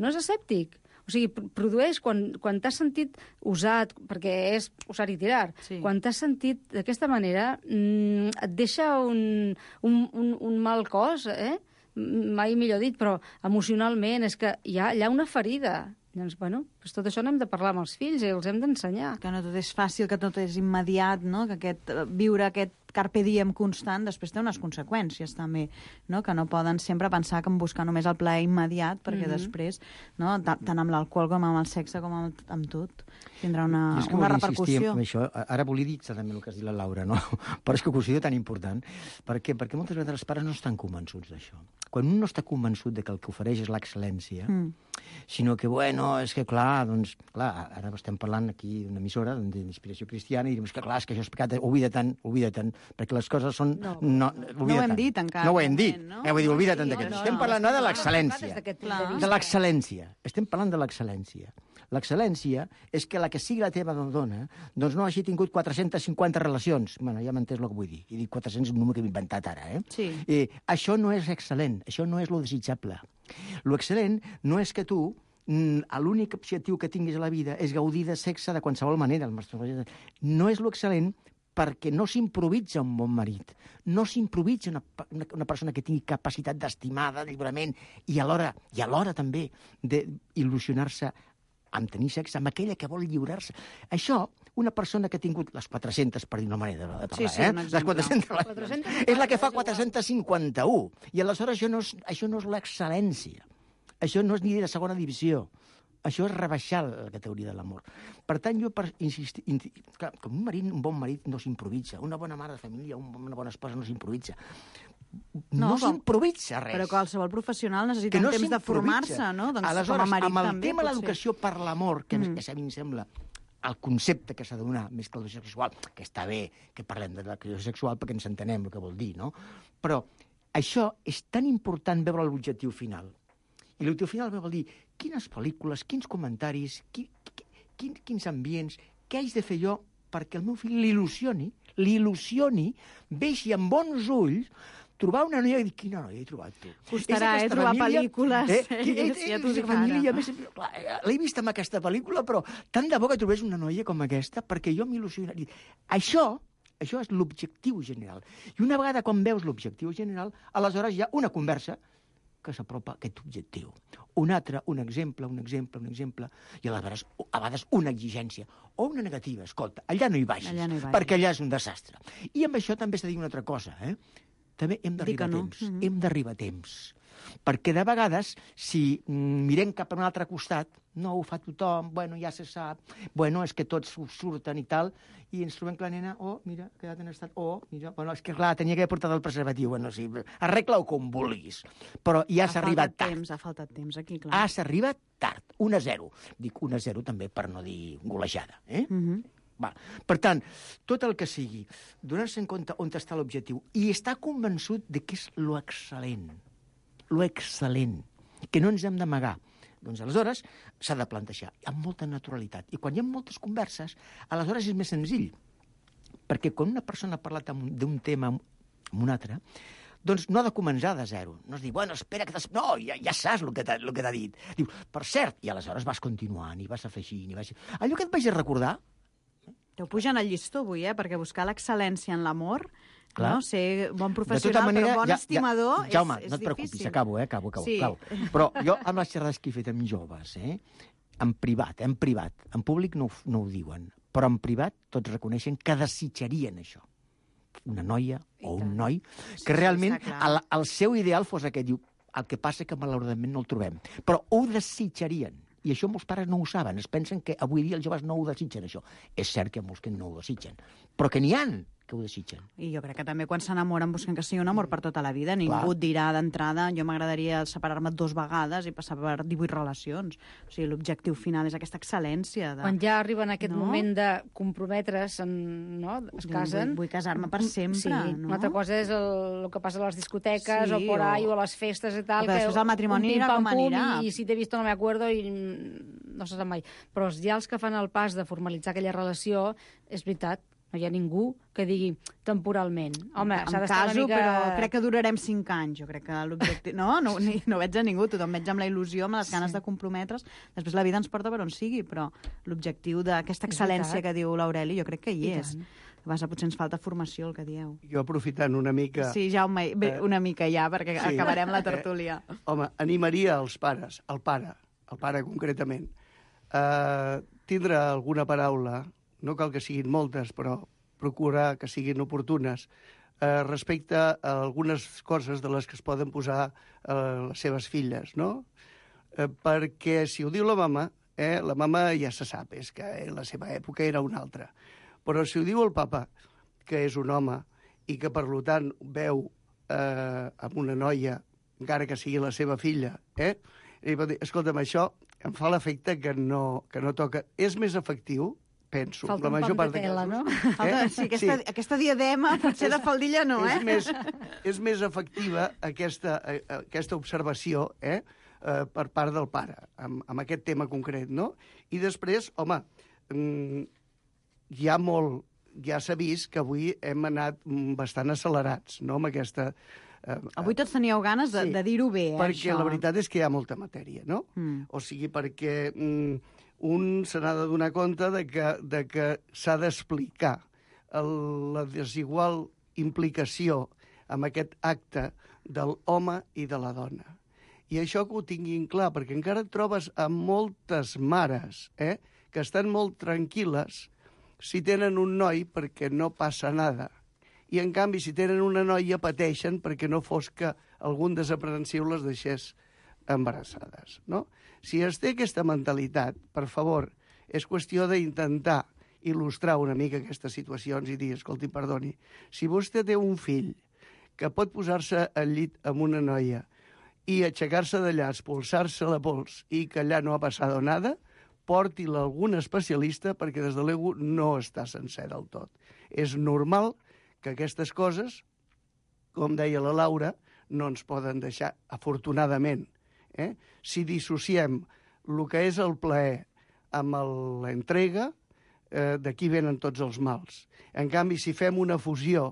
No és asèptic. O sigui, produeix, quan, quan t'has sentit usat, perquè és usar i tirar, sí. Quan t'has sentit d'aquesta manera, mmm, et deixa un, un, un, un mal cos, eh? Mai millor dit, però emocionalment és que hi ha, hi ha una ferida. Doncs, bueno, doncs tot això n'hem de parlar amb els fills i els hem d'ensenyar. Que no tot és fàcil, que tot és immediat, no? Que aquest, viure aquest carpe diem constant després té unes conseqüències també, no? Que no poden sempre pensar que en buscar només el plaer immediat, perquè mm-hmm. després, no? tant amb l'alcohol com amb el sexe com amb, amb tot, tindrà una, una repercussió. En això. Ara volia dir també el que has dit la Laura, no? Però és que ho considero tan important. Per què? Perquè moltes vegades els pares no estan convençuts d'això. Quan un no està convençut de que el que ofereix és l'excel·lència, mm. sinó que, bueno, és que clar, doncs, clar, ara estem parlant aquí d'una emissora d'inspiració cristiana i direm que clar, és que això és pecat, oblida-te'n, oblida-te'n, perquè les coses són... No, no, no ho hem dit encara. No ho hem dit. No? Eh, vull dir, oblida-te'n no, d'aquest. no, Estem no, parlant no, de l'excel·lència. De l'excel·lència. Estem parlant de l'excel·lència. L'excel·lència és que la que sigui la teva dona doncs no hagi tingut quatre-centes cinquanta relacions. Bueno, ja m'entens el que vull dir. He dit quatre-cents, un número que he inventat ara, eh? Sí. Eh, això no és excel·lent, això no és lo desitjable. Lo excel·lent no és que tu l'únic objectiu que tinguis a la vida és gaudir de sexe de qualsevol manera. No és lo excel·lent perquè no s'improvisa un bon marit, no s'improvisa una, una, una persona que tingui capacitat d'estimar, de lliurament, i alhora, i alhora també d'il·lusionar-se amb tenir sexe, amb aquella que vol lliurar-se. Això, una persona que ha tingut les quatre-centes, per dir una manera de parlar, sí, sí, eh? Les quatre-centes, quatre-centes és la que fa quatre-cents cinquanta-u. I aleshores això no és, això no és l'excel·lència. Això no és ni de segona divisió. Això és rebaixar la categoria de l'amor. Per tant, jo per insistir... Clar, com un marit, un bon marit no s'improvisa. Una bona mare de família, una bona esposa no s'improvisa. No, no s'improvisa res. Però qualsevol professional necessita no un temps de formar-se, no? Doncs aleshores, com a marit amb el també, tema de potser. l'educació per l'amor, que, Mm. que a mi em sembla el concepte que s'ha de donar, més que l'educació sexual, que està bé que parlem de l'educació sexual perquè ens entenem el que vol dir, no? Però això és tan important veure l'objectiu final. I l'objectiu final vol dir quines pel·lícules, quins comentaris, qui, qui, quin, quins ambients, què haig de fer jo perquè el meu fill l'il·lusioni, l'il·lusioni, vegi amb bons ulls trobar una noia i dir, quina noia he trobat tu? Costarà, eh, trobar pel·lícules, Eh? sèries, Eh, eh, ja t'ho dic família, ara. més, clar, eh, l'he vist amb aquesta pel·lícula, però tant de bo que trobés una noia com aquesta, perquè jo m'il·lusionaria. Això, això és l'objectiu general. I una vegada quan veus l'objectiu general, aleshores hi ha una conversa que s'apropa a aquest objectiu. Un altre, un exemple, un exemple, un exemple, i aleshores, a vegades, una exigència o una negativa. Escolta, allà no hi vagis, Allà no hi vagis. perquè allà és un desastre. I amb això també s'ha de dir una altra cosa, eh? També hem d'arribar a no. temps. Mm-hmm. Hem d'arribar a temps. Perquè de vegades, si mm, mirem cap a un altre costat, no ho fa tothom, bueno, ja se sap, bueno, és que tots ho surten i tal, i ens trobem que la nena, oh, mira, ha quedat en estat, oh, mira, bueno, és que clar, tenia que haver portat el preservatiu, bueno, sí, arregla-ho com vulguis, però ja s'ha arribat tard. Temps, ha faltat temps aquí, clar. Ah, s'ha arribat tard, un a zero. Dic un a zero també per no dir golejada, eh? Mhm. Va. Per tant, tot el que sigui, donar-se en compte on està l'objectiu i estar convençut de que és lo excel·lent, lo excel·lent, que no ens hem d'amagar. Doncs aleshores s'ha de plantejar amb molta naturalitat. I quan hi ha moltes converses, aleshores és més senzill. Perquè quan una persona ha parlat amb- d'un tema amb un altre, doncs no ha de començar de zero. No es diu, bueno, espera que... Des... No, ja, ja saps el que t'ha el que t'ha dit. Diu, per cert, i aleshores vas continuant i vas afegint i vas... Allò que et vaig a recordar, T'ho pugen al llistó avui, eh? Perquè buscar l'excel·lència en l'amor, Clar. no? Ser bon de professional, tota manera... però bon ja, estimador, ja, Jaume, és, és no et preocupis, difícil. acabo, eh? Acabo, acabo. Sí. acabo. Però jo, amb les xerrades que he fet amb joves, eh? En privat, en privat, en públic no, ho- no ho diuen, però en privat tots reconeixen que desitjarien això. Una noia o un noi que realment està clar. el, el seu ideal fos aquest. Diu, el que passa que malauradament no el trobem. Però ho desitjarien. I això molts pares no ho saben. Es pensen que avui dia els joves no ho desitgen, això. És cert que hi ha molts que no ho desitgen. Però que n'hi han que ho desitgen. I jo crec que també quan s'enamoren busquen que sigui un amor per tota la vida. Ningú Clar. et dirà d'entrada jo m'agradaria separar-me dos vegades i passar per divuit relacions. O sigui, l'objectiu final és aquesta excel·lència. De... Quan ja arriben a aquest No? moment de comprometre's, en, no? es Vull- casen... vull casar-me per sempre, Sí, no? una altra cosa és el, el que passa a les discoteques Sí, o por ahí o- o a les festes i tal. Però després el matrimoni un anirà com pim-pam-pum anirà. I, i si t'he vist no me acuerdo i mm, no se sap mai. Però ja els que fan el pas de formalitzar aquella relació, és veritat, no hi ha ningú que digui temporalment. Home, em s'ha d'estar caso, una mica... però crec que durarem cinc anys. Jo crec que l'objectiu... No, no, ni, no veig a ningú. Tothom veig amb la il·lusió, amb les ganes de comprometre's. Després la vida ens porta per on sigui, però l'objectiu d'aquesta És excel·lència veritat. que diu l'Aureli jo crec que hi I és. tant. Vas, potser ens falta formació, el que dieu. Jo aprofitant una mica... Sí, Jaume, bé, Eh, una mica ja, perquè sí. acabarem la tertúlia. Home, animaria els pares, el pare, el pare concretament, a tindre alguna paraula, no cal que siguin moltes, però procurar que siguin oportunes, eh, respecte a algunes coses de les que es poden posar eh, les seves filles, no? Eh, perquè si ho diu la mama, eh, la mama ja se sap, és que en la seva època era una altra. Però si ho diu el papa, que és un home i que, per tant, veu eh, amb una noia, encara que sigui la seva filla, eh? I pot dir, escolta'm, això em fa l'efecte que no, que no toca. És més efectiu, penso, Falta la un major pam part de de tela, casos. no? Falta, sí, aquesta, sí. aquesta diadema potser de faldilla no, eh? És més, és més efectiva aquesta, eh, aquesta observació eh, eh, per part del pare, amb, amb aquest tema concret, no? I després, home, mm, hi ha molt, ja s'ha vist que avui hem anat mm, bastant accelerats, no?, amb aquesta... Eh, Avui tots teníeu ganes de, Sí, de dir-ho bé, eh, perquè això. la veritat és que hi ha molta matèria, no? Mm. O sigui, perquè mm, un se n'ha de donar compte de que, de que s'ha d'explicar el- la desigual implicació amb aquest acte del home i de la dona. I això que ho tinguin clar, perquè encara et trobes amb moltes mares eh, que estan molt tranquil·les si tenen un noi perquè no passa nada. I, en canvi, si tenen una noia, pateixen perquè no fos que algun desaprensiu les deixés embarassades, no? Si es té aquesta mentalitat, per favor, és qüestió d'intentar il·lustrar una mica aquestes situacions i dir, escolti, perdoni, si vostè té un fill que pot posar-se al llit amb una noia i aixecar-se d'allà, expulsar-se la pols i que allà no ha passat nada, porti-la a algun especialista perquè des de l'ego no està sencer del tot. És normal que aquestes coses, com deia la Laura, no ens poden deixar, afortunadament. Eh? Si dissociem el que és el plaer amb l'entrega, eh, d'aquí venen tots els mals. En canvi, si fem una fusió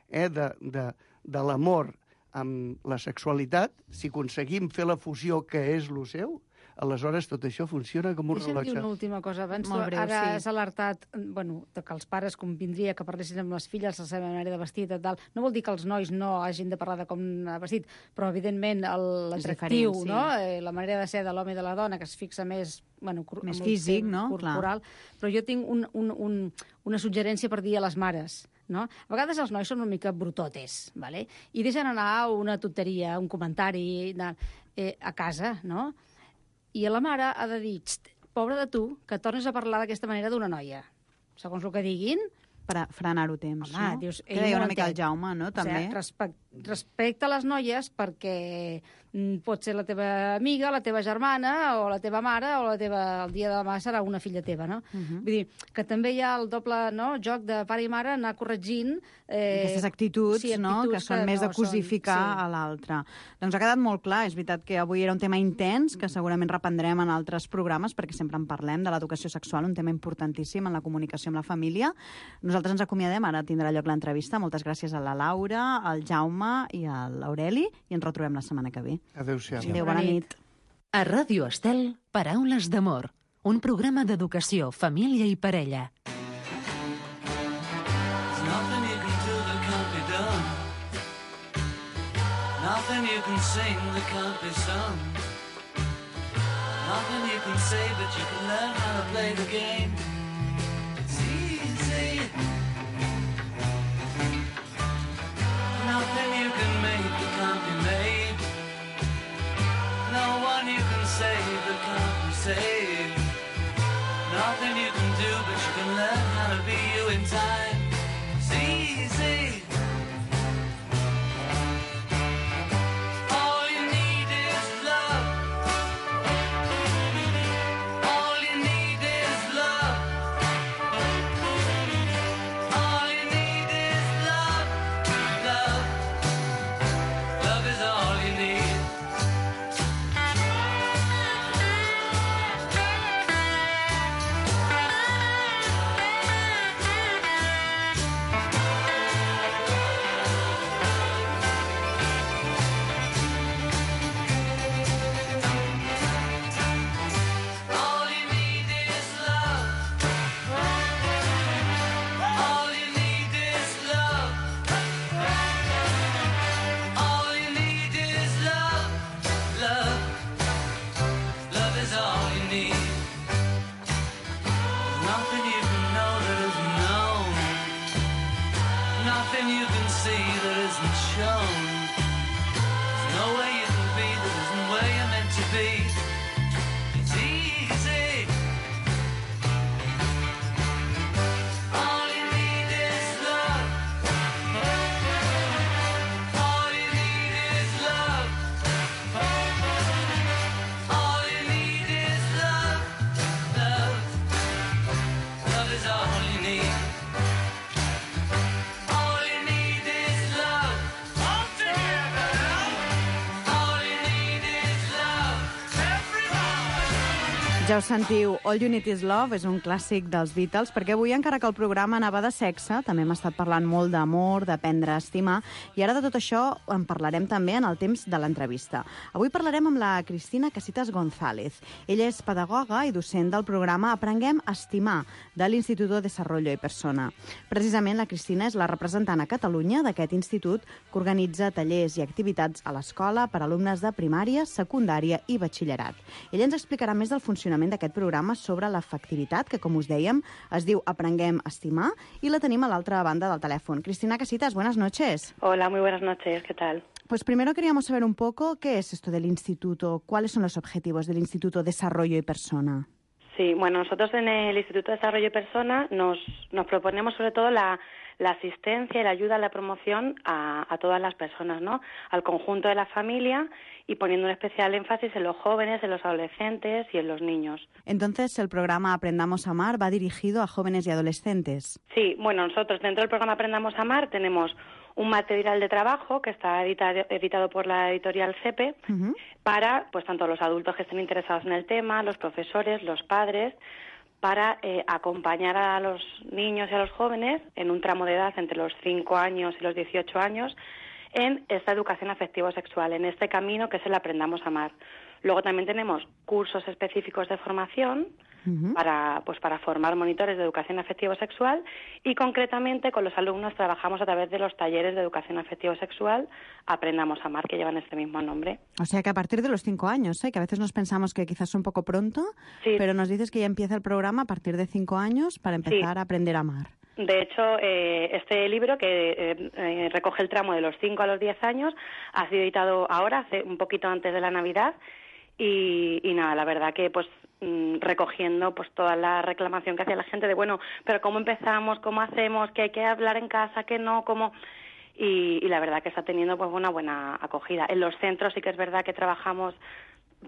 eh, de, de, de l'amor amb la sexualitat, si aconseguim fer la fusió que és lo seu, aleshores tot això funciona com un Deixa'm rellotge. dir una última cosa. Abans Molt tu breu, ara sí. has alertat, bueno, de que els pares convindria que parlessin amb les filles la seva manera de vestir i tal. No vol dir que els nois no hagin de parlar de com ha vestit, però evidentment el- l'atractiu, diferent, sí. no? Eh, la manera de ser de l'home i de la dona, que es fixa més, bueno, cor- Més amb el físic, temps no? corporal. Però jo tinc un, un, un, una suggerència per dir a les mares. No? A vegades els nois són una mica brutotes, ¿vale? I deixen anar una tonteria, un comentari de, eh, a casa, no? I la mare ha de dir, pobra de tu, que tornes a parlar d'aquesta manera d'una noia. Segons el que diguin, Per a frenar-ho temps, home, no? dius... Que deia una mica el Jaume, no? També. O sigui, respect, respecta les noies perquè mm, pot ser la teva amiga, la teva germana, o la teva mare, o la teva, el dia de demà serà una filla teva, no? Uh -huh. Vull dir, que també hi ha el doble no, joc de pare i mare anar corregint... Eh, Aquestes actituds, sí, no? actituds Que són més de no són- cosificar sí. a l'altre. Doncs ha quedat molt clar. És veritat que avui era un tema intens, que segurament reprendrem en altres programes, perquè sempre en parlem de l'educació sexual, un tema importantíssim en la comunicació amb la família. Nosaltres ens acomiadem, ara tindrà lloc l'entrevista. Moltes gràcies a la Laura, al Jaume i a l'Aureli, i ens retrobem la setmana que ve. Adéu-siau. Adéu, bona nit. A Ràdio Estel, Paraules d'amor, un programa d'educació, família i parella. Nothing you can do that can't be done. Nothing you can sing that can't be sung. Nothing you can say, but you can learn how to play the game. It's easy. Nothing you can make that can't be made. No one you can save that can't be saved. Nothing you can do, but you can learn how to be you in time. It's easy. All you need is love. All you need is love. All you need is love. Love. Love is all you need. All you need is love. All you need is love. All you need is love. Love. Love is all you need. Nothing you can know that isn't known. Nothing you can see that isn't shown. There's no way you can be that isn't where you're meant to be. It's easy. All you need is love. All you need is love. All you need is love. Love. Love is all you need. All you need is love. All together. All you need is love. Everybody. Ja ho sentiu, All You Need Is Love és un clàssic dels Beatles, perquè avui, encara que el programa anava de sexe, també hem estat parlant molt d'amor, d'aprendre a estimar, i ara de tot això en parlarem també en el temps de l'entrevista. Avui parlarem amb la Cristina Casitas González. Ella és pedagoga i docent del programa Aprenguem a Estimar, de l'Instituto Desarrollo y Persona. Precisament, la Cristina és la representant a Catalunya d'aquest institut que organitza tallers i activitats a l'escola per a alumnes de primària, secundària i batxillerat. Ella ens explicarà més del funcionament d'aquest programa sobre l'efectivitat, que, com us dèiem, es diu Aprenguem a Estimar, i la tenim a l'altra banda del telèfon. Cristina Casitas, buenas noches. Hola, muy buenas noches, ¿qué tal? Pues primero queríamos saber un poco qué es esto del instituto, cuáles son los objetivos del Instituto Desarrollo y Persona. Sí, bueno, nosotros en el Instituto de Desarrollo y Persona nos, nos proponemos sobre todo la, la asistencia y la ayuda a la promoción a, a todas las personas, ¿no? Al conjunto de la familia y poniendo un especial énfasis en los jóvenes, en los adolescentes y en los niños. Entonces, el programa Aprendamos a Amar va dirigido a jóvenes y adolescentes. Sí, bueno, nosotros dentro del programa Aprendamos a Amar tenemos un material de trabajo que está editado, editado por la editorial CEPE uh-huh. para, pues, tanto los adultos que estén interesados en el tema, los profesores, los padres, para eh, acompañar a los niños y a los jóvenes en un tramo de edad entre los cinco años y los dieciocho años en esta educación afectivo-sexual, en este camino que es el Aprendamos a Amar. Luego también tenemos cursos específicos de formación uh-huh. para, pues, para formar monitores de educación afectivo-sexual, y concretamente con los alumnos trabajamos a través de los talleres de educación afectivo-sexual Aprendamos a Amar, que llevan este mismo nombre. O sea que a partir de los cinco años, ¿eh? Que a veces nos pensamos que quizás es un poco pronto, sí. pero nos dices que ya empieza el programa a partir de cinco años para empezar sí. a aprender a amar. De hecho, eh, este libro, que eh, eh, recoge el tramo de los cinco a los diez años, ha sido editado ahora, hace un poquito antes de la Navidad, y, y nada, la verdad que pues mmm, recogiendo pues toda la reclamación que hacía la gente de, bueno, pero ¿cómo empezamos? ¿Cómo hacemos? ¿Que hay que hablar en casa? ¿Que no? ¿Cómo...? Y, y la verdad que está teniendo pues una buena acogida. En los centros sí que es verdad que trabajamos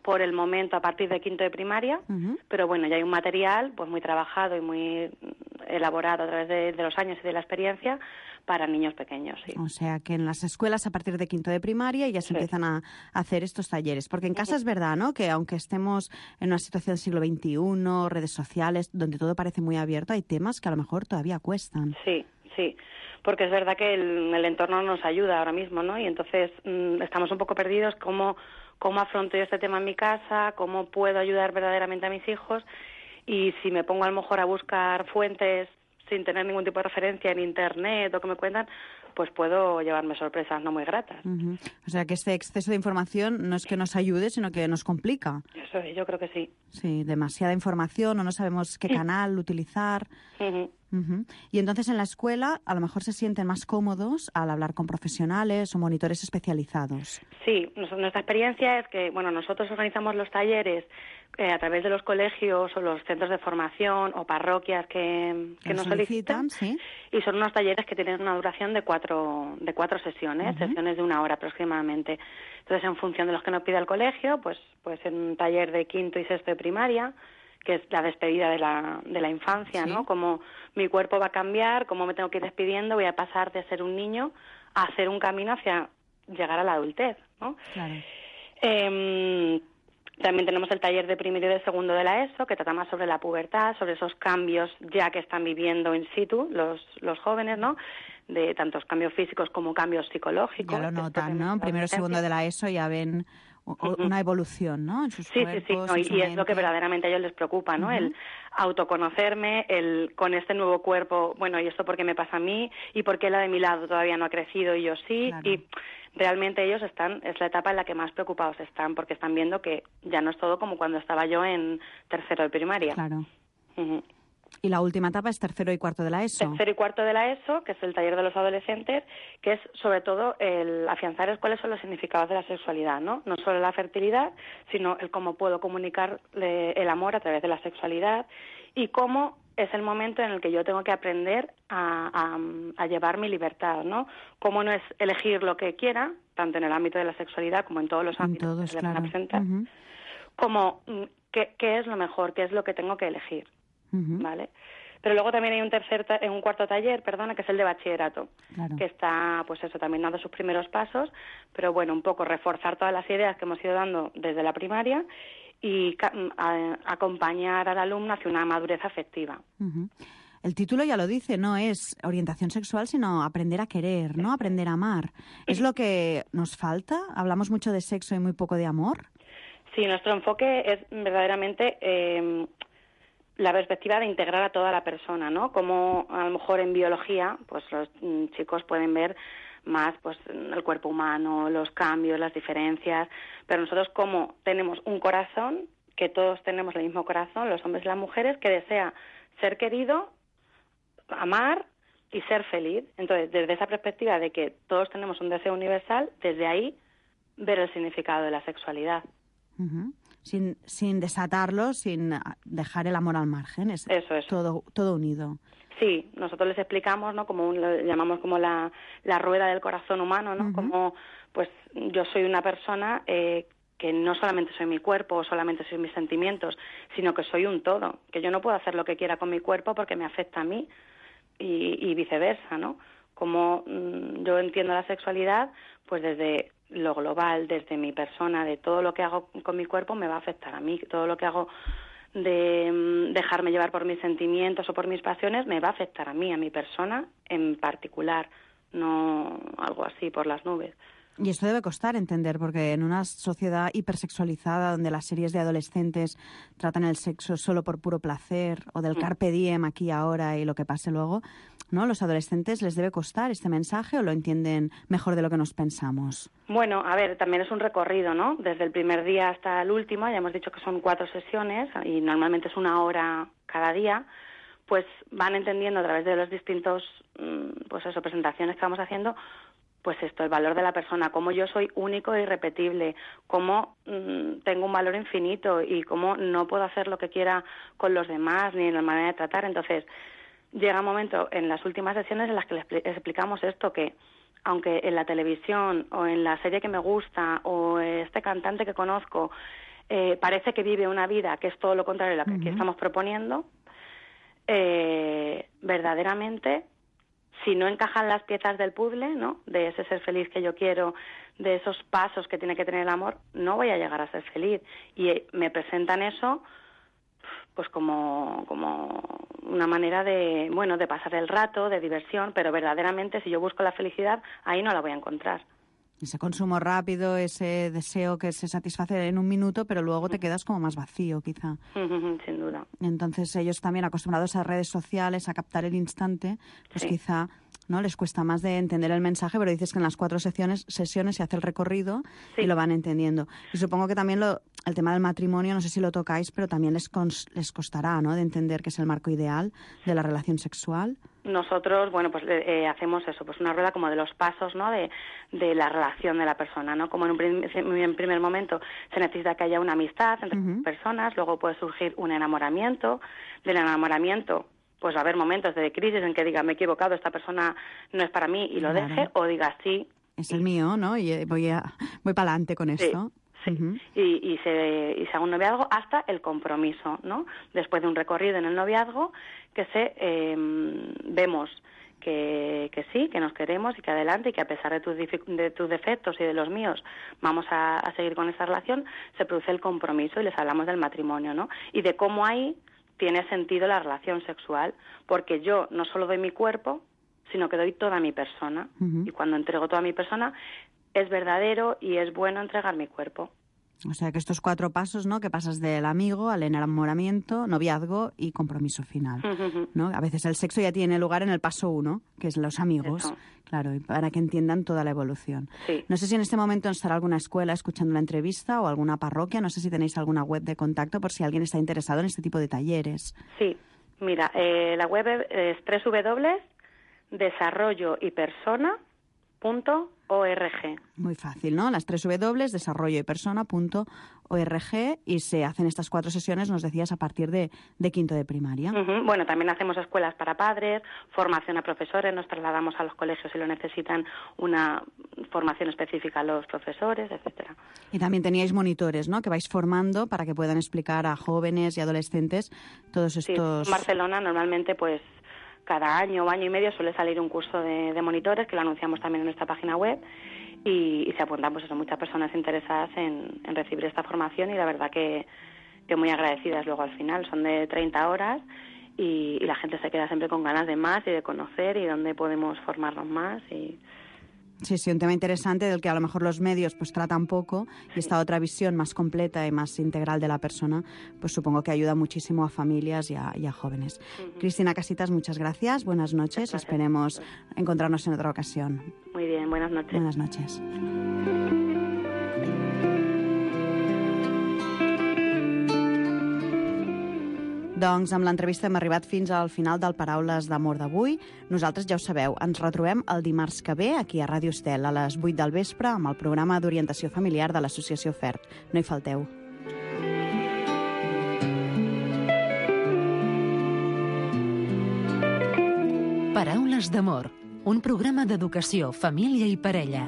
por el momento a partir de quinto de primaria, uh-huh. pero bueno, ya hay un material pues muy trabajado y muy elaborado a través de, de los años y de la experiencia para niños pequeños, sí. O sea, que en las escuelas a partir de quinto de primaria ya se sí. empiezan a hacer estos talleres. Porque en casa es verdad, ¿no?, que aunque estemos en una situación del siglo veintiuno, redes sociales, donde todo parece muy abierto, hay temas que a lo mejor todavía cuestan. Sí, sí. Porque es verdad que el, el entorno nos ayuda ahora mismo, ¿no? Y entonces mmm, estamos un poco perdidos cómo, cómo afronto yo este tema en mi casa, cómo puedo ayudar verdaderamente a mis hijos, y si me pongo a lo mejor a buscar fuentes sin tener ningún tipo de referencia en Internet o que me cuentan, pues puedo llevarme sorpresas no muy gratas. Uh-huh. O sea, que este exceso de información no es que nos ayude, sino que nos complica. Eso, yo creo que sí. Sí, demasiada información o no sabemos qué canal utilizar. Uh-huh. Uh-huh. Y entonces en la escuela a lo mejor se sienten más cómodos al hablar con profesionales o monitores especializados. Sí, nuestra experiencia es que, bueno, nosotros organizamos los talleres eh, a través de los colegios o los centros de formación o parroquias que, que nos solicitan, ¿sí? Y son unos talleres que tienen una duración de cuatro, de cuatro sesiones, uh-huh. sesiones de una hora aproximadamente. Entonces, en función de los que nos pida el colegio, pues, pues en un taller de quinto y sexto de primaria, que es la despedida de la, de la infancia, ¿sí? ¿no? Cómo mi cuerpo va a cambiar, cómo me tengo que ir despidiendo, voy a pasar de ser un niño a hacer un camino hacia llegar a la adultez, ¿no? Claro. Eh, también tenemos el taller de primero y de segundo de la ESO, que trata más sobre la pubertad, sobre esos cambios ya que están viviendo in situ los, los jóvenes, ¿no? De tantos cambios físicos como cambios psicológicos. Ya lo notan, ¿no? Primero y segundo de la ESO ya ven una evolución, ¿no?, en sus sí, cuerpos, sí, sí, no, y, su y es lo que mente. verdaderamente a ellos les preocupa, ¿no? Uh-huh. El autoconocerme, el con este nuevo cuerpo, bueno, ¿y esto por qué me pasa a mí? ¿Y por qué la de mi lado todavía no ha crecido y yo sí? Claro. Y realmente ellos están, es la etapa en la que más preocupados están, porque están viendo que ya no es todo como cuando estaba yo en tercero de primaria. Claro. Uh-huh. Y la última etapa es tercero y cuarto de la ESO. Tercero y cuarto de la ESO, que es el taller de los adolescentes, que es sobre todo el afianzar cuáles son los significados de la sexualidad, ¿no? No solo la fertilidad, sino el cómo puedo comunicar el amor a través de la sexualidad y cómo es el momento en el que yo tengo que aprender a, a, a llevar mi libertad, ¿no? Cómo no es elegir lo que quiera, tanto en el ámbito de la sexualidad como en todos los ámbitos todos, que se le claro. van a presentar, uh-huh. como qué, qué es lo mejor, qué es lo que tengo que elegir. Uh-huh. ¿Vale? Pero luego también hay un tercer ta- un cuarto taller, perdona, que es el de bachillerato, claro. que está, pues eso, también dando sus primeros pasos, pero bueno, un poco reforzar todas las ideas que hemos ido dando desde la primaria y ca- a- acompañar al alumno hacia una madurez afectiva. Uh-huh. El título ya lo dice, no es orientación sexual, sino aprender a querer, ¿no? Aprender a amar. ¿Es lo que nos falta? ¿Hablamos mucho de sexo y muy poco de amor? Sí, nuestro enfoque es verdaderamente Eh, la perspectiva de integrar a toda la persona, ¿no? Como a lo mejor en biología, pues los mm, chicos pueden ver más pues el cuerpo humano, los cambios, las diferencias, pero nosotros como tenemos un corazón, que todos tenemos el mismo corazón, los hombres y las mujeres, que desea ser querido, amar y ser feliz. Entonces, desde esa perspectiva de que todos tenemos un deseo universal, desde ahí ver el significado de la sexualidad. Uh-huh. Sin, sin desatarlo, sin dejar el amor al margen, es eso, eso. Todo, todo unido. Sí, nosotros les explicamos, ¿no? Como un, lo llamamos como la, la rueda del corazón humano, ¿no? Uh-huh. Como, pues, yo soy una persona eh, que no solamente soy mi cuerpo o solamente soy mis sentimientos, sino que soy un todo, que yo no puedo hacer lo que quiera con mi cuerpo porque me afecta a mí y, y viceversa, ¿no? Como mmm, yo entiendo la sexualidad, pues desde lo global, desde mi persona, de todo lo que hago con mi cuerpo me va a afectar a mí, todo lo que hago de um, dejarme llevar por mis sentimientos o por mis pasiones me va a afectar a mí, a mi persona en particular, no algo así por las nubes. Y esto debe costar entender, porque en una sociedad hipersexualizada donde las series de adolescentes tratan el sexo solo por puro placer o del carpe diem aquí y ahora y lo que pase luego, ¿no? ¿Los adolescentes les debe costar este mensaje o lo entienden mejor de lo que nos pensamos? Bueno, a ver, también es un recorrido, ¿no? Desde el primer día hasta el último, ya hemos dicho que son cuatro sesiones y normalmente es una hora cada día, pues van entendiendo a través de los distintos, pues eso, presentaciones que vamos haciendo, pues esto, el valor de la persona, cómo yo soy único e irrepetible, cómo mmm, tengo un valor infinito y cómo no puedo hacer lo que quiera con los demás ni en la manera de tratar. Entonces, llega un momento en las últimas sesiones en las que les explicamos esto, que aunque en la televisión o en la serie que me gusta o este cantante que conozco eh, parece que vive una vida que es todo lo contrario a lo que aquí estamos proponiendo, eh, verdaderamente, si no encajan las piezas del puzzle, ¿no?, de ese ser feliz que yo quiero, de esos pasos que tiene que tener el amor, no voy a llegar a ser feliz. Y eh, me presentan eso pues como, como una manera de, bueno, de pasar el rato, de diversión, pero verdaderamente si yo busco la felicidad, ahí no la voy a encontrar. Ese consumo rápido, ese deseo que se satisface en un minuto, pero luego te quedas como más vacío, quizá. Sin duda. Entonces ellos también acostumbrados a redes sociales, a captar el instante, pues sí, quizá no les cuesta más de entender el mensaje, pero dices que en las cuatro sesiones, sesiones se hace el recorrido, sí, y lo van entendiendo. Y supongo que también lo, el tema del matrimonio, no sé si lo tocáis, pero también les, cons, les costará, ¿no?, de entender que es el marco ideal de la relación sexual. Nosotros, bueno, pues eh, hacemos eso, pues una rueda como de los pasos, ¿no?, de, de la relación de la persona, ¿no? Como en un prim en primer momento se necesita que haya una amistad entre uh-huh. personas, luego puede surgir un enamoramiento. Del enamoramiento, pues va a haber momentos de crisis en que diga, me he equivocado, esta persona no es para mí y lo claro. deje, o diga, sí. Es el mío, ¿no? Y voy, a, voy para adelante con sí. esto. Sí, uh-huh. y, y, se, y se haga un noviazgo hasta el compromiso, ¿no? Después de un recorrido en el noviazgo, que se eh, vemos que, que sí, que nos queremos y que adelante y que a pesar de tus, de tus defectos y de los míos vamos a, a seguir con esa relación, se produce el compromiso y les hablamos del matrimonio, ¿no? Y de cómo ahí tiene sentido la relación sexual, porque yo no solo doy mi cuerpo, sino que doy toda mi persona. Uh-huh. Y cuando entrego toda mi persona, es verdadero y es bueno entregar mi cuerpo. O sea que estos cuatro pasos, ¿no?, que pasas del amigo al enamoramiento, noviazgo y compromiso final, uh-huh. ¿no? A veces el sexo ya tiene lugar en el paso uno, que es los amigos, Eso. claro, y para que entiendan toda la evolución. Sí. No sé si en este momento estará alguna escuela escuchando la entrevista o alguna parroquia, no sé si tenéis alguna web de contacto por si alguien está interesado en este tipo de talleres. Sí, mira, eh, la web es doble u doble u doble u punto desarrollo y persona punto org. Muy fácil, ¿no? Las tres W, desarrollo y persona punto org, y se hacen estas cuatro sesiones, nos decías, a partir de, de quinto de primaria. Uh-huh. Bueno, también hacemos escuelas para padres, formación a profesores, nos trasladamos a los colegios si lo necesitan, una formación específica a los profesores, etcétera. Y también teníais monitores, ¿no?, que vais formando para que puedan explicar a jóvenes y adolescentes todos estos... Sí, en Barcelona normalmente, pues, cada año o año y medio suele salir un curso de, de monitores, que lo anunciamos también en nuestra página web, y, y se apuntan pues eso, muchas personas interesadas en, en recibir esta formación, y la verdad que, que muy agradecidas luego al final. Son de treinta horas y, y la gente se queda siempre con ganas de más y de conocer y dónde podemos formarnos más. y Sí, sí, un tema interesante del que a lo mejor los medios pues tratan poco, y esta otra visión más completa y más integral de la persona, pues supongo que ayuda muchísimo a familias y a, y a jóvenes. Uh-huh. Cristina Casitas, muchas gracias, buenas noches, gracias. Esperemos encontrarnos en otra ocasión. Muy bien, buenas noches. Buenas noches. Doncs amb l'entrevista hem arribat fins al final del Paraules d'Amor d'avui. Nosaltres ja ho sabeu, ens retrobem el dimarts que ve aquí a Ràdio Estel a les vuit del vespre amb el programa d'orientació familiar de l'Associació F E R T. No hi falteu. Paraules d'Amor, un programa d'educació, família i parella